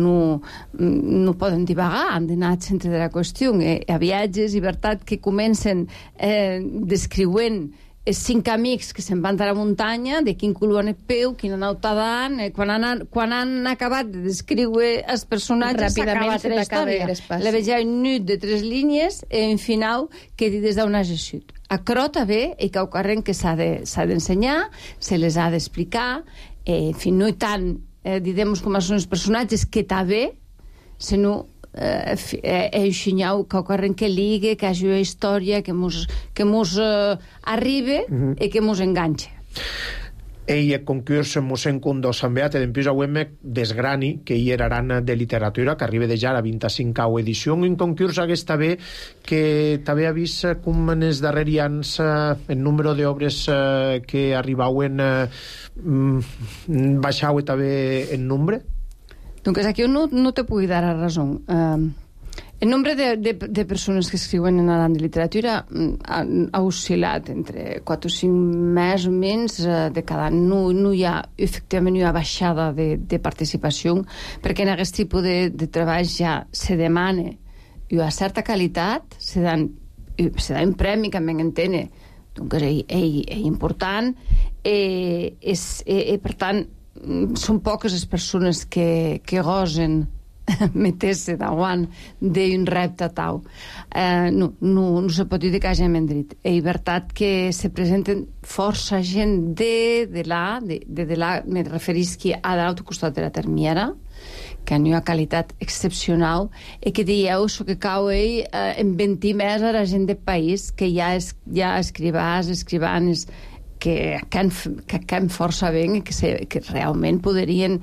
no poden divagar, han d'anar al centre de la qüestió. A viatges, i veritat, que comencen descriuent els 5 amics que se'n van a la muntanya, de quin color en el peu, quina nauta dan, quan han acabat de descriure els personatges, s'ha acabat la història. La vegeu un nut de 3 línies i en final que des d'on has eixut. A crota bé, i caucarrenc que s'ha d'ensenyar, se les ha d'explicar, en fi, no tant, direm com són els personatges que està bé, sinó ensenyau caucarrenc que ligue, que hagi una història que mos arribe i que mos enganxe. El concurs mossèn Condó Sant Beat d'empús auem desgrani que hi eraran de literatura, que arriba de ja a la 25a edició, un concurs aquesta bé que també ha vist com en els darrers anys el número d'obres que arribauen baixau també en nombre? Donc aquí no te puc dar la raó. El nombre de persones que escriuen en la literatura ha oscil·lat entre 4 o 5 més o menys de cada any. No hi ha, efectivament, una baixada de participació, perquè en aquest tipus de treballs ja se demana una certa qualitat, se dan un premi, que m'en entene, doncs és important, per tant, són poques les persones que gosen meter-se davant d'un repte tau. No se pot dir que hagin endrit. És veritat que se presenten força gent de la, me referisc a l'altre costat de la Termiera, que ha una qualitat excepcional, i que dieu que cau en 20 més a la gent del país, que ja escrivans, que acabem força bé i que realment podrien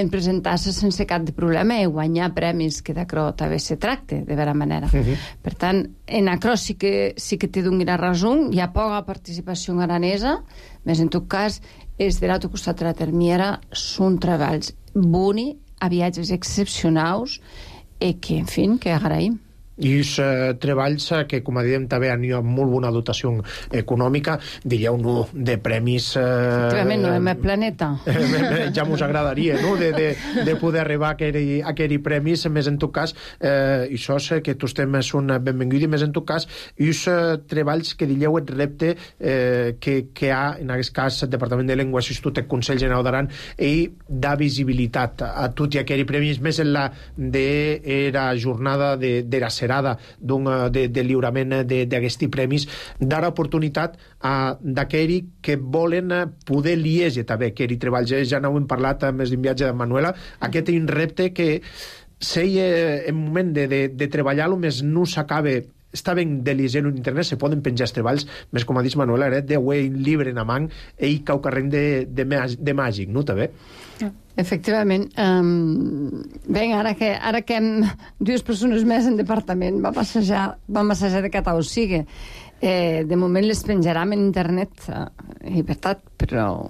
presentar-se sense cap de problema i guanyar premis, que d'acord també se tracta, de vera manera. Per tant, en aquò sí que té donat raó, hi ha poca participació aranesa, més en tot cas, els de l'altre costat de la termiera són treballs boni, a viatges excepcionals, i que, en fi, que agraïm. I els treballs que, com a diem, també han molt bona dotació econòmica, diríeu-no, de premis... Efectivament, no hem planeta. Ja mos agradaria, no?, de poder arribar a aquells premis, més en tot cas, i això que tots temes són benvinguts, i més en tot cas, els treballs que diríeu el repte que hi ha, en aquest cas, el Departament de Llengua, l'Institut del Consell Generau d'Aran, i da visibilitat a tots aquells premis, més en la jornada de la de lliurament d'aquests premis, dar oportunitat a d'aquells que volen poder lieger també aquells treballs. Ja n'ho hem parlat més d'un viatge de Manuela, aquest és un repte que en moment de treballar-lo més no s'acaba. Està ben de lieger en internet, se poden penjar els treballs, més com ha dit Manuela, de un llibre en amant i cau carrent de màgic, no, també? Efectivament. Bé, ara que hem dues persones més en departament, vam assajar de catar o sigui. De moment les penjarem en internet, i veritat, però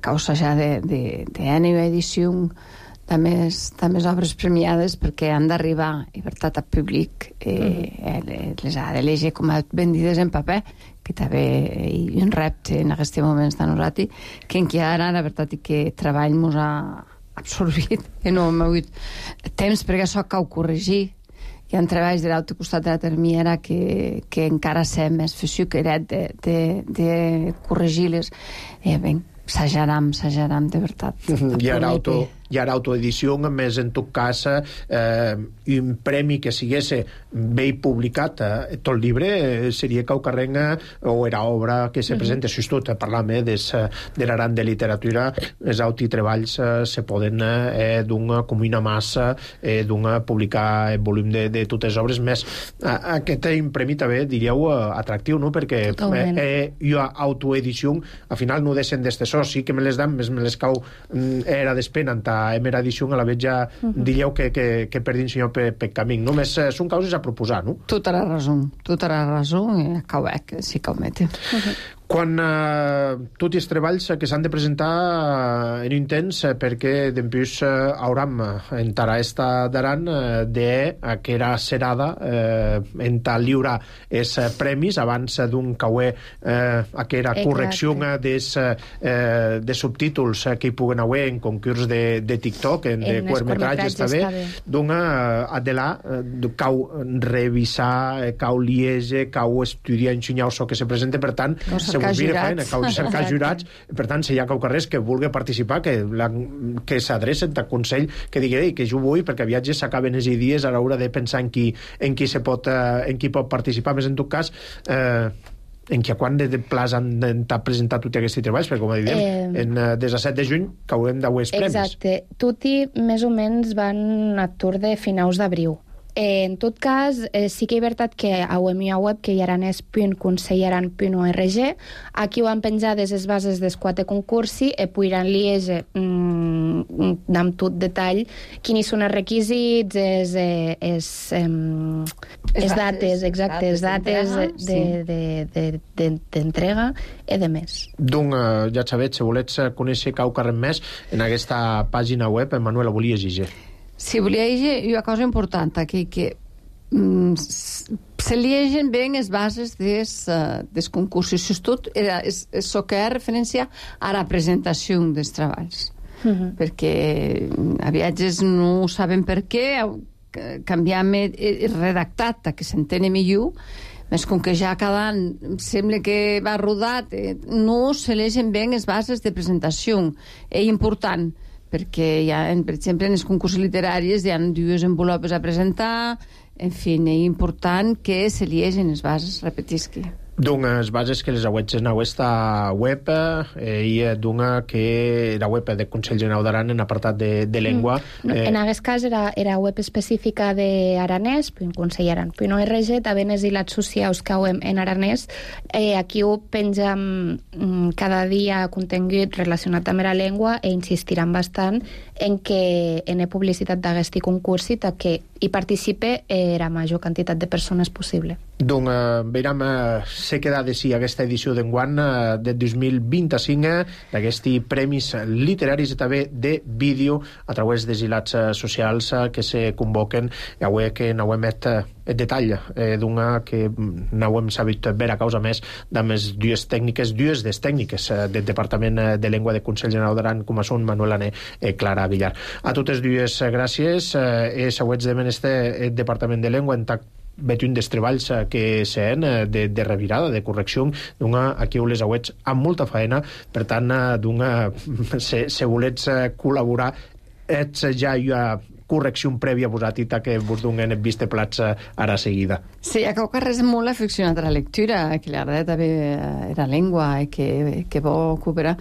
cau assajar d'ànima edició de més obres premiades, perquè han d'arribar, i veritat, al públic, les ha de llegir com a vendides en paper, que també hi ha un repte en aquests moments de nosaltres, que encara, la veritat, i que treball mos ha absorbit enormement temps, perquè això cal corregir. Hi ha treballs de l'altre costat de la termiera que encara sé més feixuqueret de corregir-les. Bé, assajarem, de veritat. Hi ha autoedició, més en tot cas un premi que sigués bé publicat tot el llibre seria cau carreng o era obra que se presenta, si tot parlam de l'Aran de literatura, els autotreballs se poden com una massa publicar el volum de totes les obres, més aquest premi també diríeu atractiu, no? Perquè hi ha autoedició, al final no deixen d'estessor, sí que me les dan, més me les cau era despenant a emera edició, a la vez ja diríeu que perdin senyor per camí. Només són causes a proposar, no? Tota la raó, i cau que sí que ho mete. Quan tots els treballs que s'han de presentar en un temps, perquè després hauram entrar esta d'Aran d'aquera serada entrar lliurar els premis abans d'un cauer aquera correcció de subtítols que hi puguen haver en concurs de TikTok, de curtmetratges també, d'un adelà cau revisar, cau liege, cau estudiar, ensenyar això que se presenta, per tant cal cercar jurats, per tant, si hi ha carrers que vulgui participar, que s'adrecen al Consell, que digui que jo vull, perquè viatges s'acaben els dies a l'hora de pensar en qui pot participar, més en tot cas en què quan de plaç han de presentar tots aquests treballs, perquè com diem, des de 7 de juny caurem d'avui els premis. Exacte, tutti més o menys van a tour de finals d'abril. En tot cas, sí que és veritat que a la meva web, que hi aranès.consellaran.org, aquí ho han penjades les bases dels 4 concursi i podran llegir amb tot detall quins són els requisits, les dates, exacte, les dates d'entrega i de més. Doncs, ja sabeu, si volets conèixer cau carrer més, en aquesta pàgina web, Manuela, volia llegir. Sí, volia llegir una cosa important aquí, que se llegeixen bé les bases dels concursos. Tot és que ha referència a la presentació dels treballs. Perquè a viatges no saben per què, canviam el redactat que s'entén millor, més com que ja cada any sembla que va rodat, no se llegeixen bé les bases de presentació. És important, perquè hi ha, per exemple, en els concursos literaris hi ha 2 envelopes a presentar, en fi, és important que se llegeixin les bases, repetisc. D'unes bases que les auets en aquesta web i d'una que era web del Consell Generau d'Aran en apartat de llengua. En aquest cas era web específica d'aranès, puis un Consell Aran. Puis no RG, també les ilats socials que hem en aranès. Aquí ho pengem cada dia contingut relacionat amb la llengua i insistiran bastant en que en publicitat d'aquest concurs i que hi participe la major quantitat de persones possible. Donc, veiem, se queda de si aquesta edició d'enguany de 2025 d'aquests premis literaris i també de vídeo a través dels hilats socials que se convoquen i avui que n'hem met el detall d'una que n'hem sabut veure a causa més de les dues tècniques del Departament de Llengua del Consell Generau d'Aran, com són Manuel Ané i Clara Villar. A totes dues gràcies. Següents de este Departament de Llengua en veig un dels treballs que sent de revirada, de correcció, aquí les auets amb molta feina, per tant, si volets col·laborar, ets ja correcció prèvia vosatita que vos donen vist plats ara seguida. Sí, a Cauca res molt afeccionat a la lectura, que li agrada també la llengua i que vol cooperar.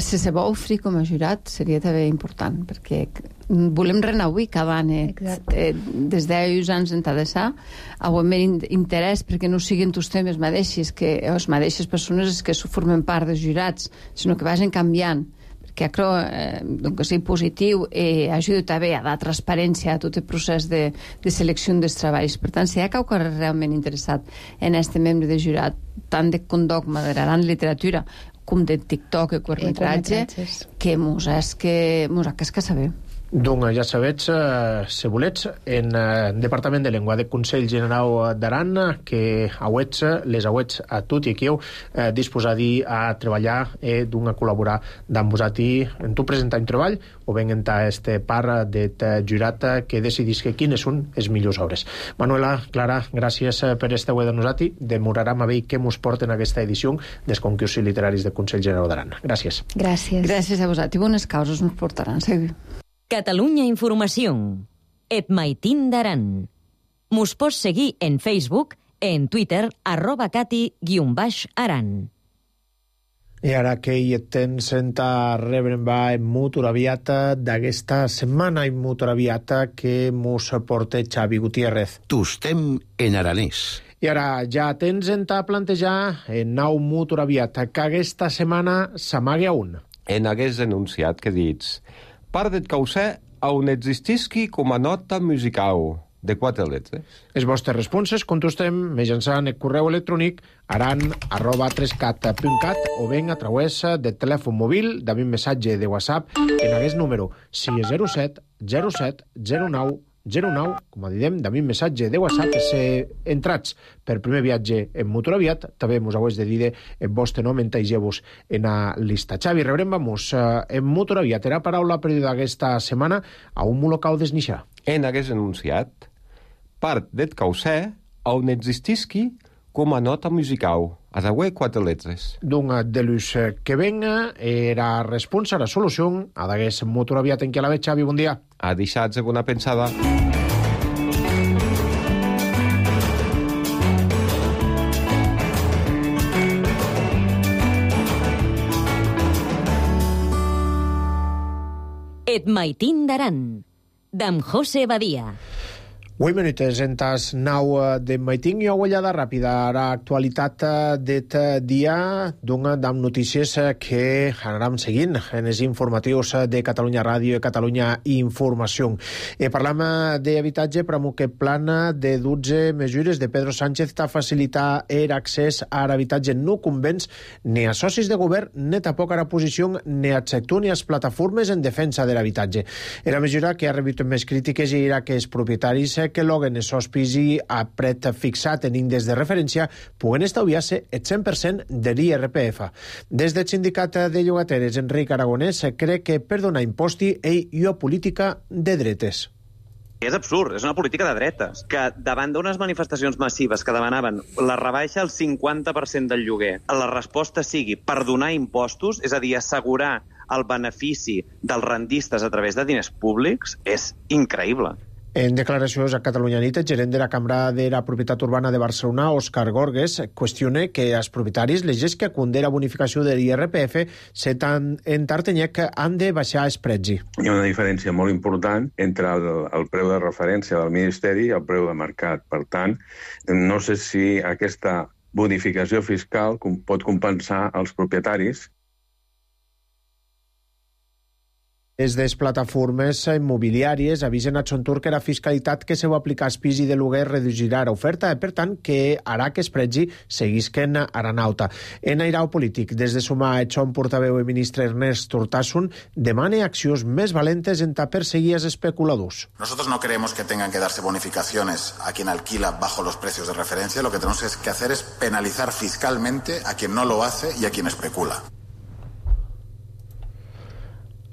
Si se vol oferir com a jurat seria també important, perquè volem renauir cada any des d'10 anys en Tadessà, amb interès perquè no siguin els temes mateixos, que les mateixes persones que formen part dels jurats, sinó que vagin canviant, que crec que sigui positiu i ajuda també a dar transparència a tot el procés de selecció dels treballs. Per tant, si hi ha qualque realment interessat en aquest membre de jurat, tant de condogma de la gran literatura com de TikTok i curtmetratge, que mos és que saber. Donc, ja sabets, si volets, en Departament de Llengua del Consell Generau d'Aran, que les auets a tot i aquí disposadi a treballar i a col·laborar amb vosaltres en tu presentar un treball o ben en este part de jurat que decidís quines són les millors obres. Manuela, Clara, gràcies per estar avui de nosaltres. Demorarem a veure què mos porten aquesta edició dels concursos literaris del Consell Generau d'Aran. Gràcies. Gràcies a vosaltres. Bones causes ens portaran. Seguim. Catalunya Informació. Et maitin d'Aran. Mos pots seguir en Facebook, en Twitter, @cati_aran. I ara que hi tens a rebre en molt aviat d'aquesta setmana i molt aviat que mos porta Xavi Gutiérrez. Tostem en aranès. I ara ja tens a plantejar en nou molt aviat que aquesta setmana s'amague a un. En hagués enunciat que dits part del causè on existisqui com a nota musical de 4 lletres. Les vostres responses contestem mitjançant el correu electrònic aran@3cat.cat o ben a través del telèfon mòbil d'un missatge de WhatsApp en aquest número 607 07 09 09, com a diem, d'un missatge de WhatsApp. Si entrats per primer viatge en motor aviat, també mos heu de dir el vostre nom, entegeu-vos en la llista. Xavi, rebrem-vos en motor aviat. Era paraula per d'aquesta setmana a un molocau desnixar. En hagués enunciat part del causè on existisqui com a nota musical, a d'avui 4 lletres. D'un de l'ús que venga, era responsa, la solució, a d'agués motor aviat en què la veig, Xavi, bon dia. A deixar alguna pensada. Et maitin d'Aran, d'en José Badia. 8 minuts en tas 9 de maiting i ullada ràpida. Ara actualitat d'et dia d'amb notícies que anàrem seguint en els informatius de Catalunya Ràdio i Catalunya Informació. Parlam d'habitatge per un que plan de 12 mesures de Pedro Sánchez a facilitar l'accés a l'habitatge no convents ni a socis de govern, ni tampoc a la posició ni al sector ni a les plataformes en defensa de l'habitatge. Era mesura que ha rebut més crítiques i era que els propietaris que loguen els hospici a pret fixat en índex de referència puguen estalviar-se el 100% de l'IRPF. Des del sindicat de llogateres, Enric Aragonès crec que per donar imposti hi ha política de dretes. És absurd, és una política de dretes, que davant d'unes manifestacions massives que demanaven la rebaixa al 50% del lloguer, la resposta sigui per donar impostos, és a dir, assegurar el benefici dels rendistes a través de diners públics, és increïble. En declaracions a Catalunya Nit, el gerent de la Cambra de la Propietat Urbana de Barcelona, Òscar Gorgues, qüestiona que els propietaris, les gens que acunden la bonificació de l'IRPF, en Tartenyec han de baixar el preci. Hi ha una diferència molt important entre el preu de referència del Ministeri i el preu de mercat. Per tant, no sé si aquesta bonificació fiscal pot compensar els propietaris. Des de les plataformes immobiliàries avisen a Xontur que la fiscalitat que se va aplicar als pis i de lloguer reduirà l'oferta i, per tant, que harà que es pregi seguisquen aranauta. En airau polític, des de sumar a Xon portaveu i ministre Ernest Urtasun, demana accions més valentes en perseguir els especuladors. Nosotros no creemos que tengan que darse bonificaciones a quien alquila bajo los precios de referencia. Lo que tenemos que hacer es penalizar fiscalmente a quien no lo hace y a quien especula.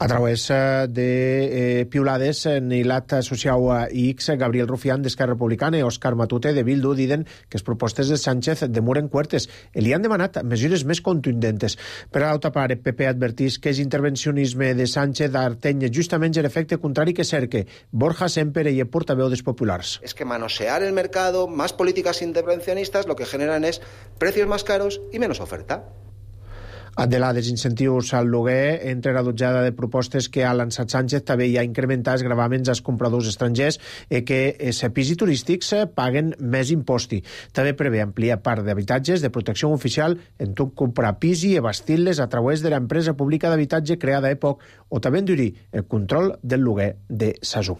A través de piulades, Nilat Associau a X, Gabriel Rufián d'Esquerra Republicana i Òscar Matute de Bildu diuen que les propostes de Sánchez demoren cuertes i li han demanat mesures més contundentes. Per a l'altra part, PP advertís que l'intervencionisme de Sánchez ateny justament l'efecte contrari que cerca. Borja Semper i el portaveu dels populars. Es que manosear el mercado, más políticas intervencionistas, lo que generan es precios más caros y menos oferta. De la desincentius al lloguer, entre la dotzada de propostes que ha lançat Sánchez, també hi ha incrementar els gravaments als compradors estrangers i que els pisos turístics paguen més imposti. També prevé ampliar part d'habitatges de protecció oficial en tot comprar pis i abastir-les a través de l'empresa pública d'habitatge creada a EPOC o també endurir el control del lloguer de SASU.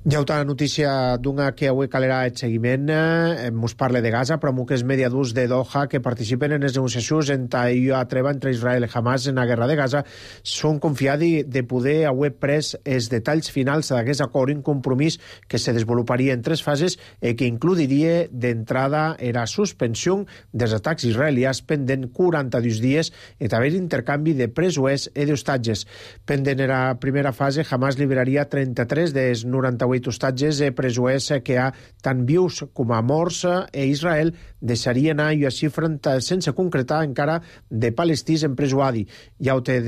Ja una notícia d'una que avui calerà el seguiment. Ens parla de Gaza, però que és mediadors de Doha que participen en les negociacions a treva entre Israel i Hamas en la guerra de Gaza són confiats de poder avui pres els detalls finals d'aquest acord, un compromís que se desenvoluparia en 3 fases i que incluiria d'entrada la suspensió dels atacs israelians pendent 42 dies i també l'intercanvi de presoners i d'hostatges. Pendent la primera fase, Hamas liberaria 33 dels 98 hostatges presoners que ha tant vius com a morts i Israel deixaria anar i xifren sense concretar encara de palestins empresonats. Ja ho té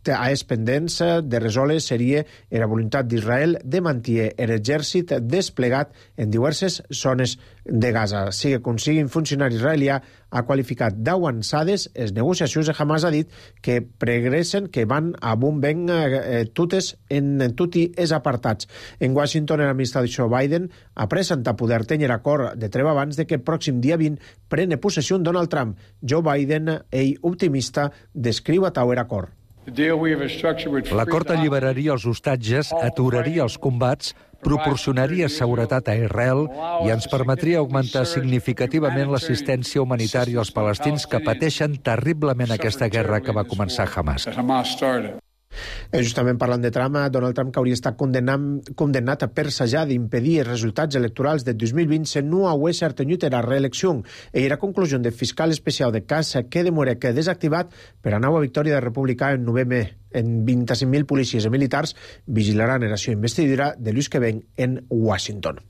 a les pendents de resoldre seria la voluntat d'Israel de mantenir l'exèrcit desplegat en diverses zones de Gaza. Sigui com sigui, un funcionari israelià ha qualificat d'avançades les negociacions de Hamas, ha dit que progressen, que van a bon vent totes en tots els apartats. En Washington, l'administració Biden ha presentat poder tenir acord de treva abans de que el pròxim dia 20 prene possessió Donald Trump. Joe Biden, ell optimista, descriu a Tower acord. L'acord alliberaria els hostatges, aturaria els combats, proporcionaria seguretat a Israel i ens permetria augmentar significativament l'assistència humanitària als palestins que pateixen terriblement aquesta guerra que va començar Hamas. Justament parlant de Trump, Donald Trump, que hauria estat condemnat a persejar d'impedir els resultats electorals de 2020 se no hagués obtingut la reelecció. I la conclusió del fiscal especial de cas que demora que desactivat per a nova victòria de republicà en novembre. En 25.000 policies i militars vigilaran la seva investidura de l'ús que ven en Washington.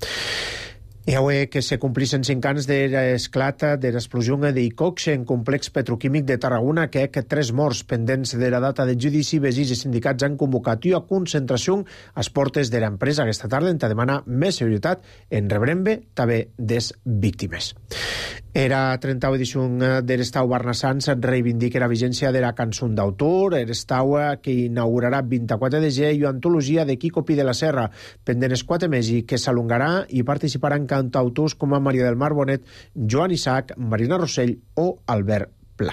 I avui que se complissin 5 anys de l'esclat de l'explosió d'Icox en complex petroquímic de Tarragona, que 3 morts pendents de la data del judici, veïns i sindicats han convocat una concentració a les portes de l'empresa aquesta tarda en demanar més seguretat en rebrembe també des víctimes. Era 30a edició de l'Estau Barnassans reivindica la vigència de la cançó d'autor, l'Estau que inaugurarà 24 de gener i una antologia de Quico Pi de la Serra, pendent els 4 mesos que s'alongarà i participaran cantautors com a Maria del Mar Bonet, Joan Isaac, Marina Rossell o Albert Pla.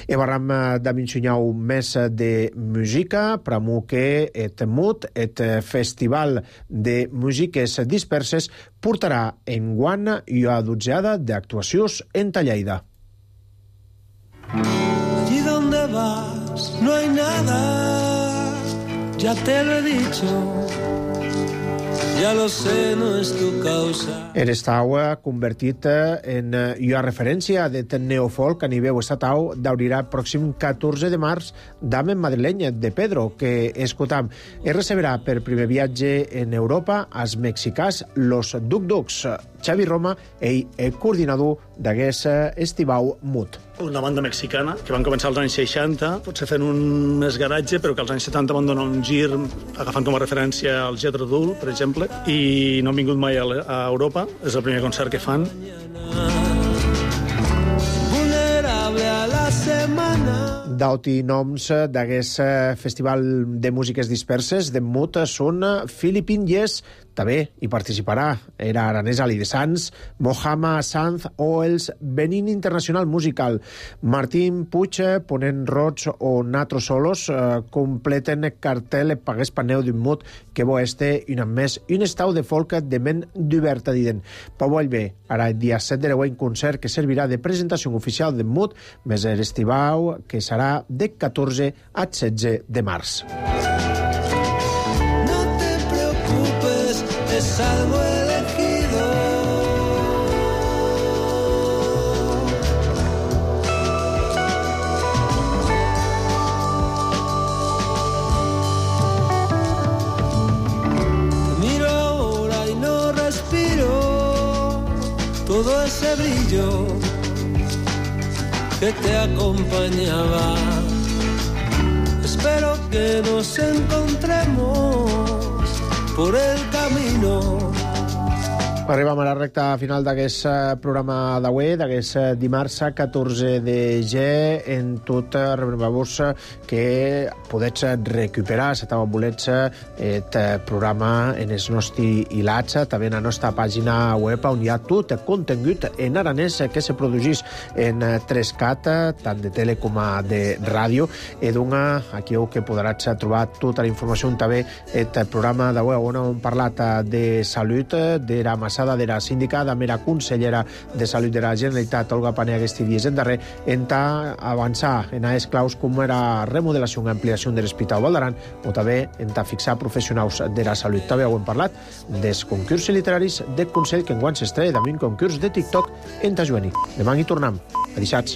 I parlam d'amencionar més de música, pramo que et MUT, et Festival de Músiques Disperses, portarà enguany una dotzena d'actuacions en Lleida. Allí donde vas no hay nada, ya te lo he dicho. Ya lo sé, no es tu causa. L'Estau convertit en una referència de neofolk a nivell estatal d'obrirà el pròxim 14 de març d'Amen Madrileny de Pedro, que escoltam. Es receberà per primer viatge en Europa als mexicans Los Duk Duks. Xavi Roma, ell coordinador d'aquest estivau MUT. Una banda mexicana que van començar als anys 60, potser fent un més garatge, però que als anys 70 van donar un gir agafant com a referència el Jethro Tull, per exemple, i no han vingut mai a Europa. És el primer concert que fan. Vulnerable a la setmana. Dauti noms d'aquest festival de músiques disperses de MUT són Philippine Yes, també hi participarà era Aranès Ali de Sans, Mohamed Sanz o els Benin Internacional Musical. Martín Puig, Ponent Roig o Natro Solos completen cartel Pagués Paneu d'un MUT que bo este un amb més un estau de folk de ment d'oberta diden. Pau Vallvé, ara el dia 7 de l'any concert que servirà de presentació oficial de MUT més l'estivau que serà de 14 a 16 de març. Es algo elegido. Miro ahora y no respiro todo ese brillo que te acompañaba. Espero que nos encontremos por el camino. Arribem a la recta final d'aquest programa d'avui, d'aquest dimarts 14 de gener. En tot, recordeu-vos que podeu recuperar, si voleu, el programa en els nostres hilats, també en la nostra pàgina web, on hi ha tot el contingut en aranès que se produeix en 3CAT, tant de tele com de ràdio. I doncs, aquí que podràs trobar tota la informació, també el programa d'avui, on hem parlat de salut, de la Massada de la síndica, de mera consellera de Salut de la Generalitat, Olga Pané, aquests dies en darrer, en avançar en aquests claus com era remodelació i ampliació de l'Hospital Vall d'Aran, o també en fixar professionals de la salut. També ho hem parlat dels concursos literaris del Consell, que enguany s'estrella també un concurs de TikTok en Tajueni. Demà hi tornem. Adixats.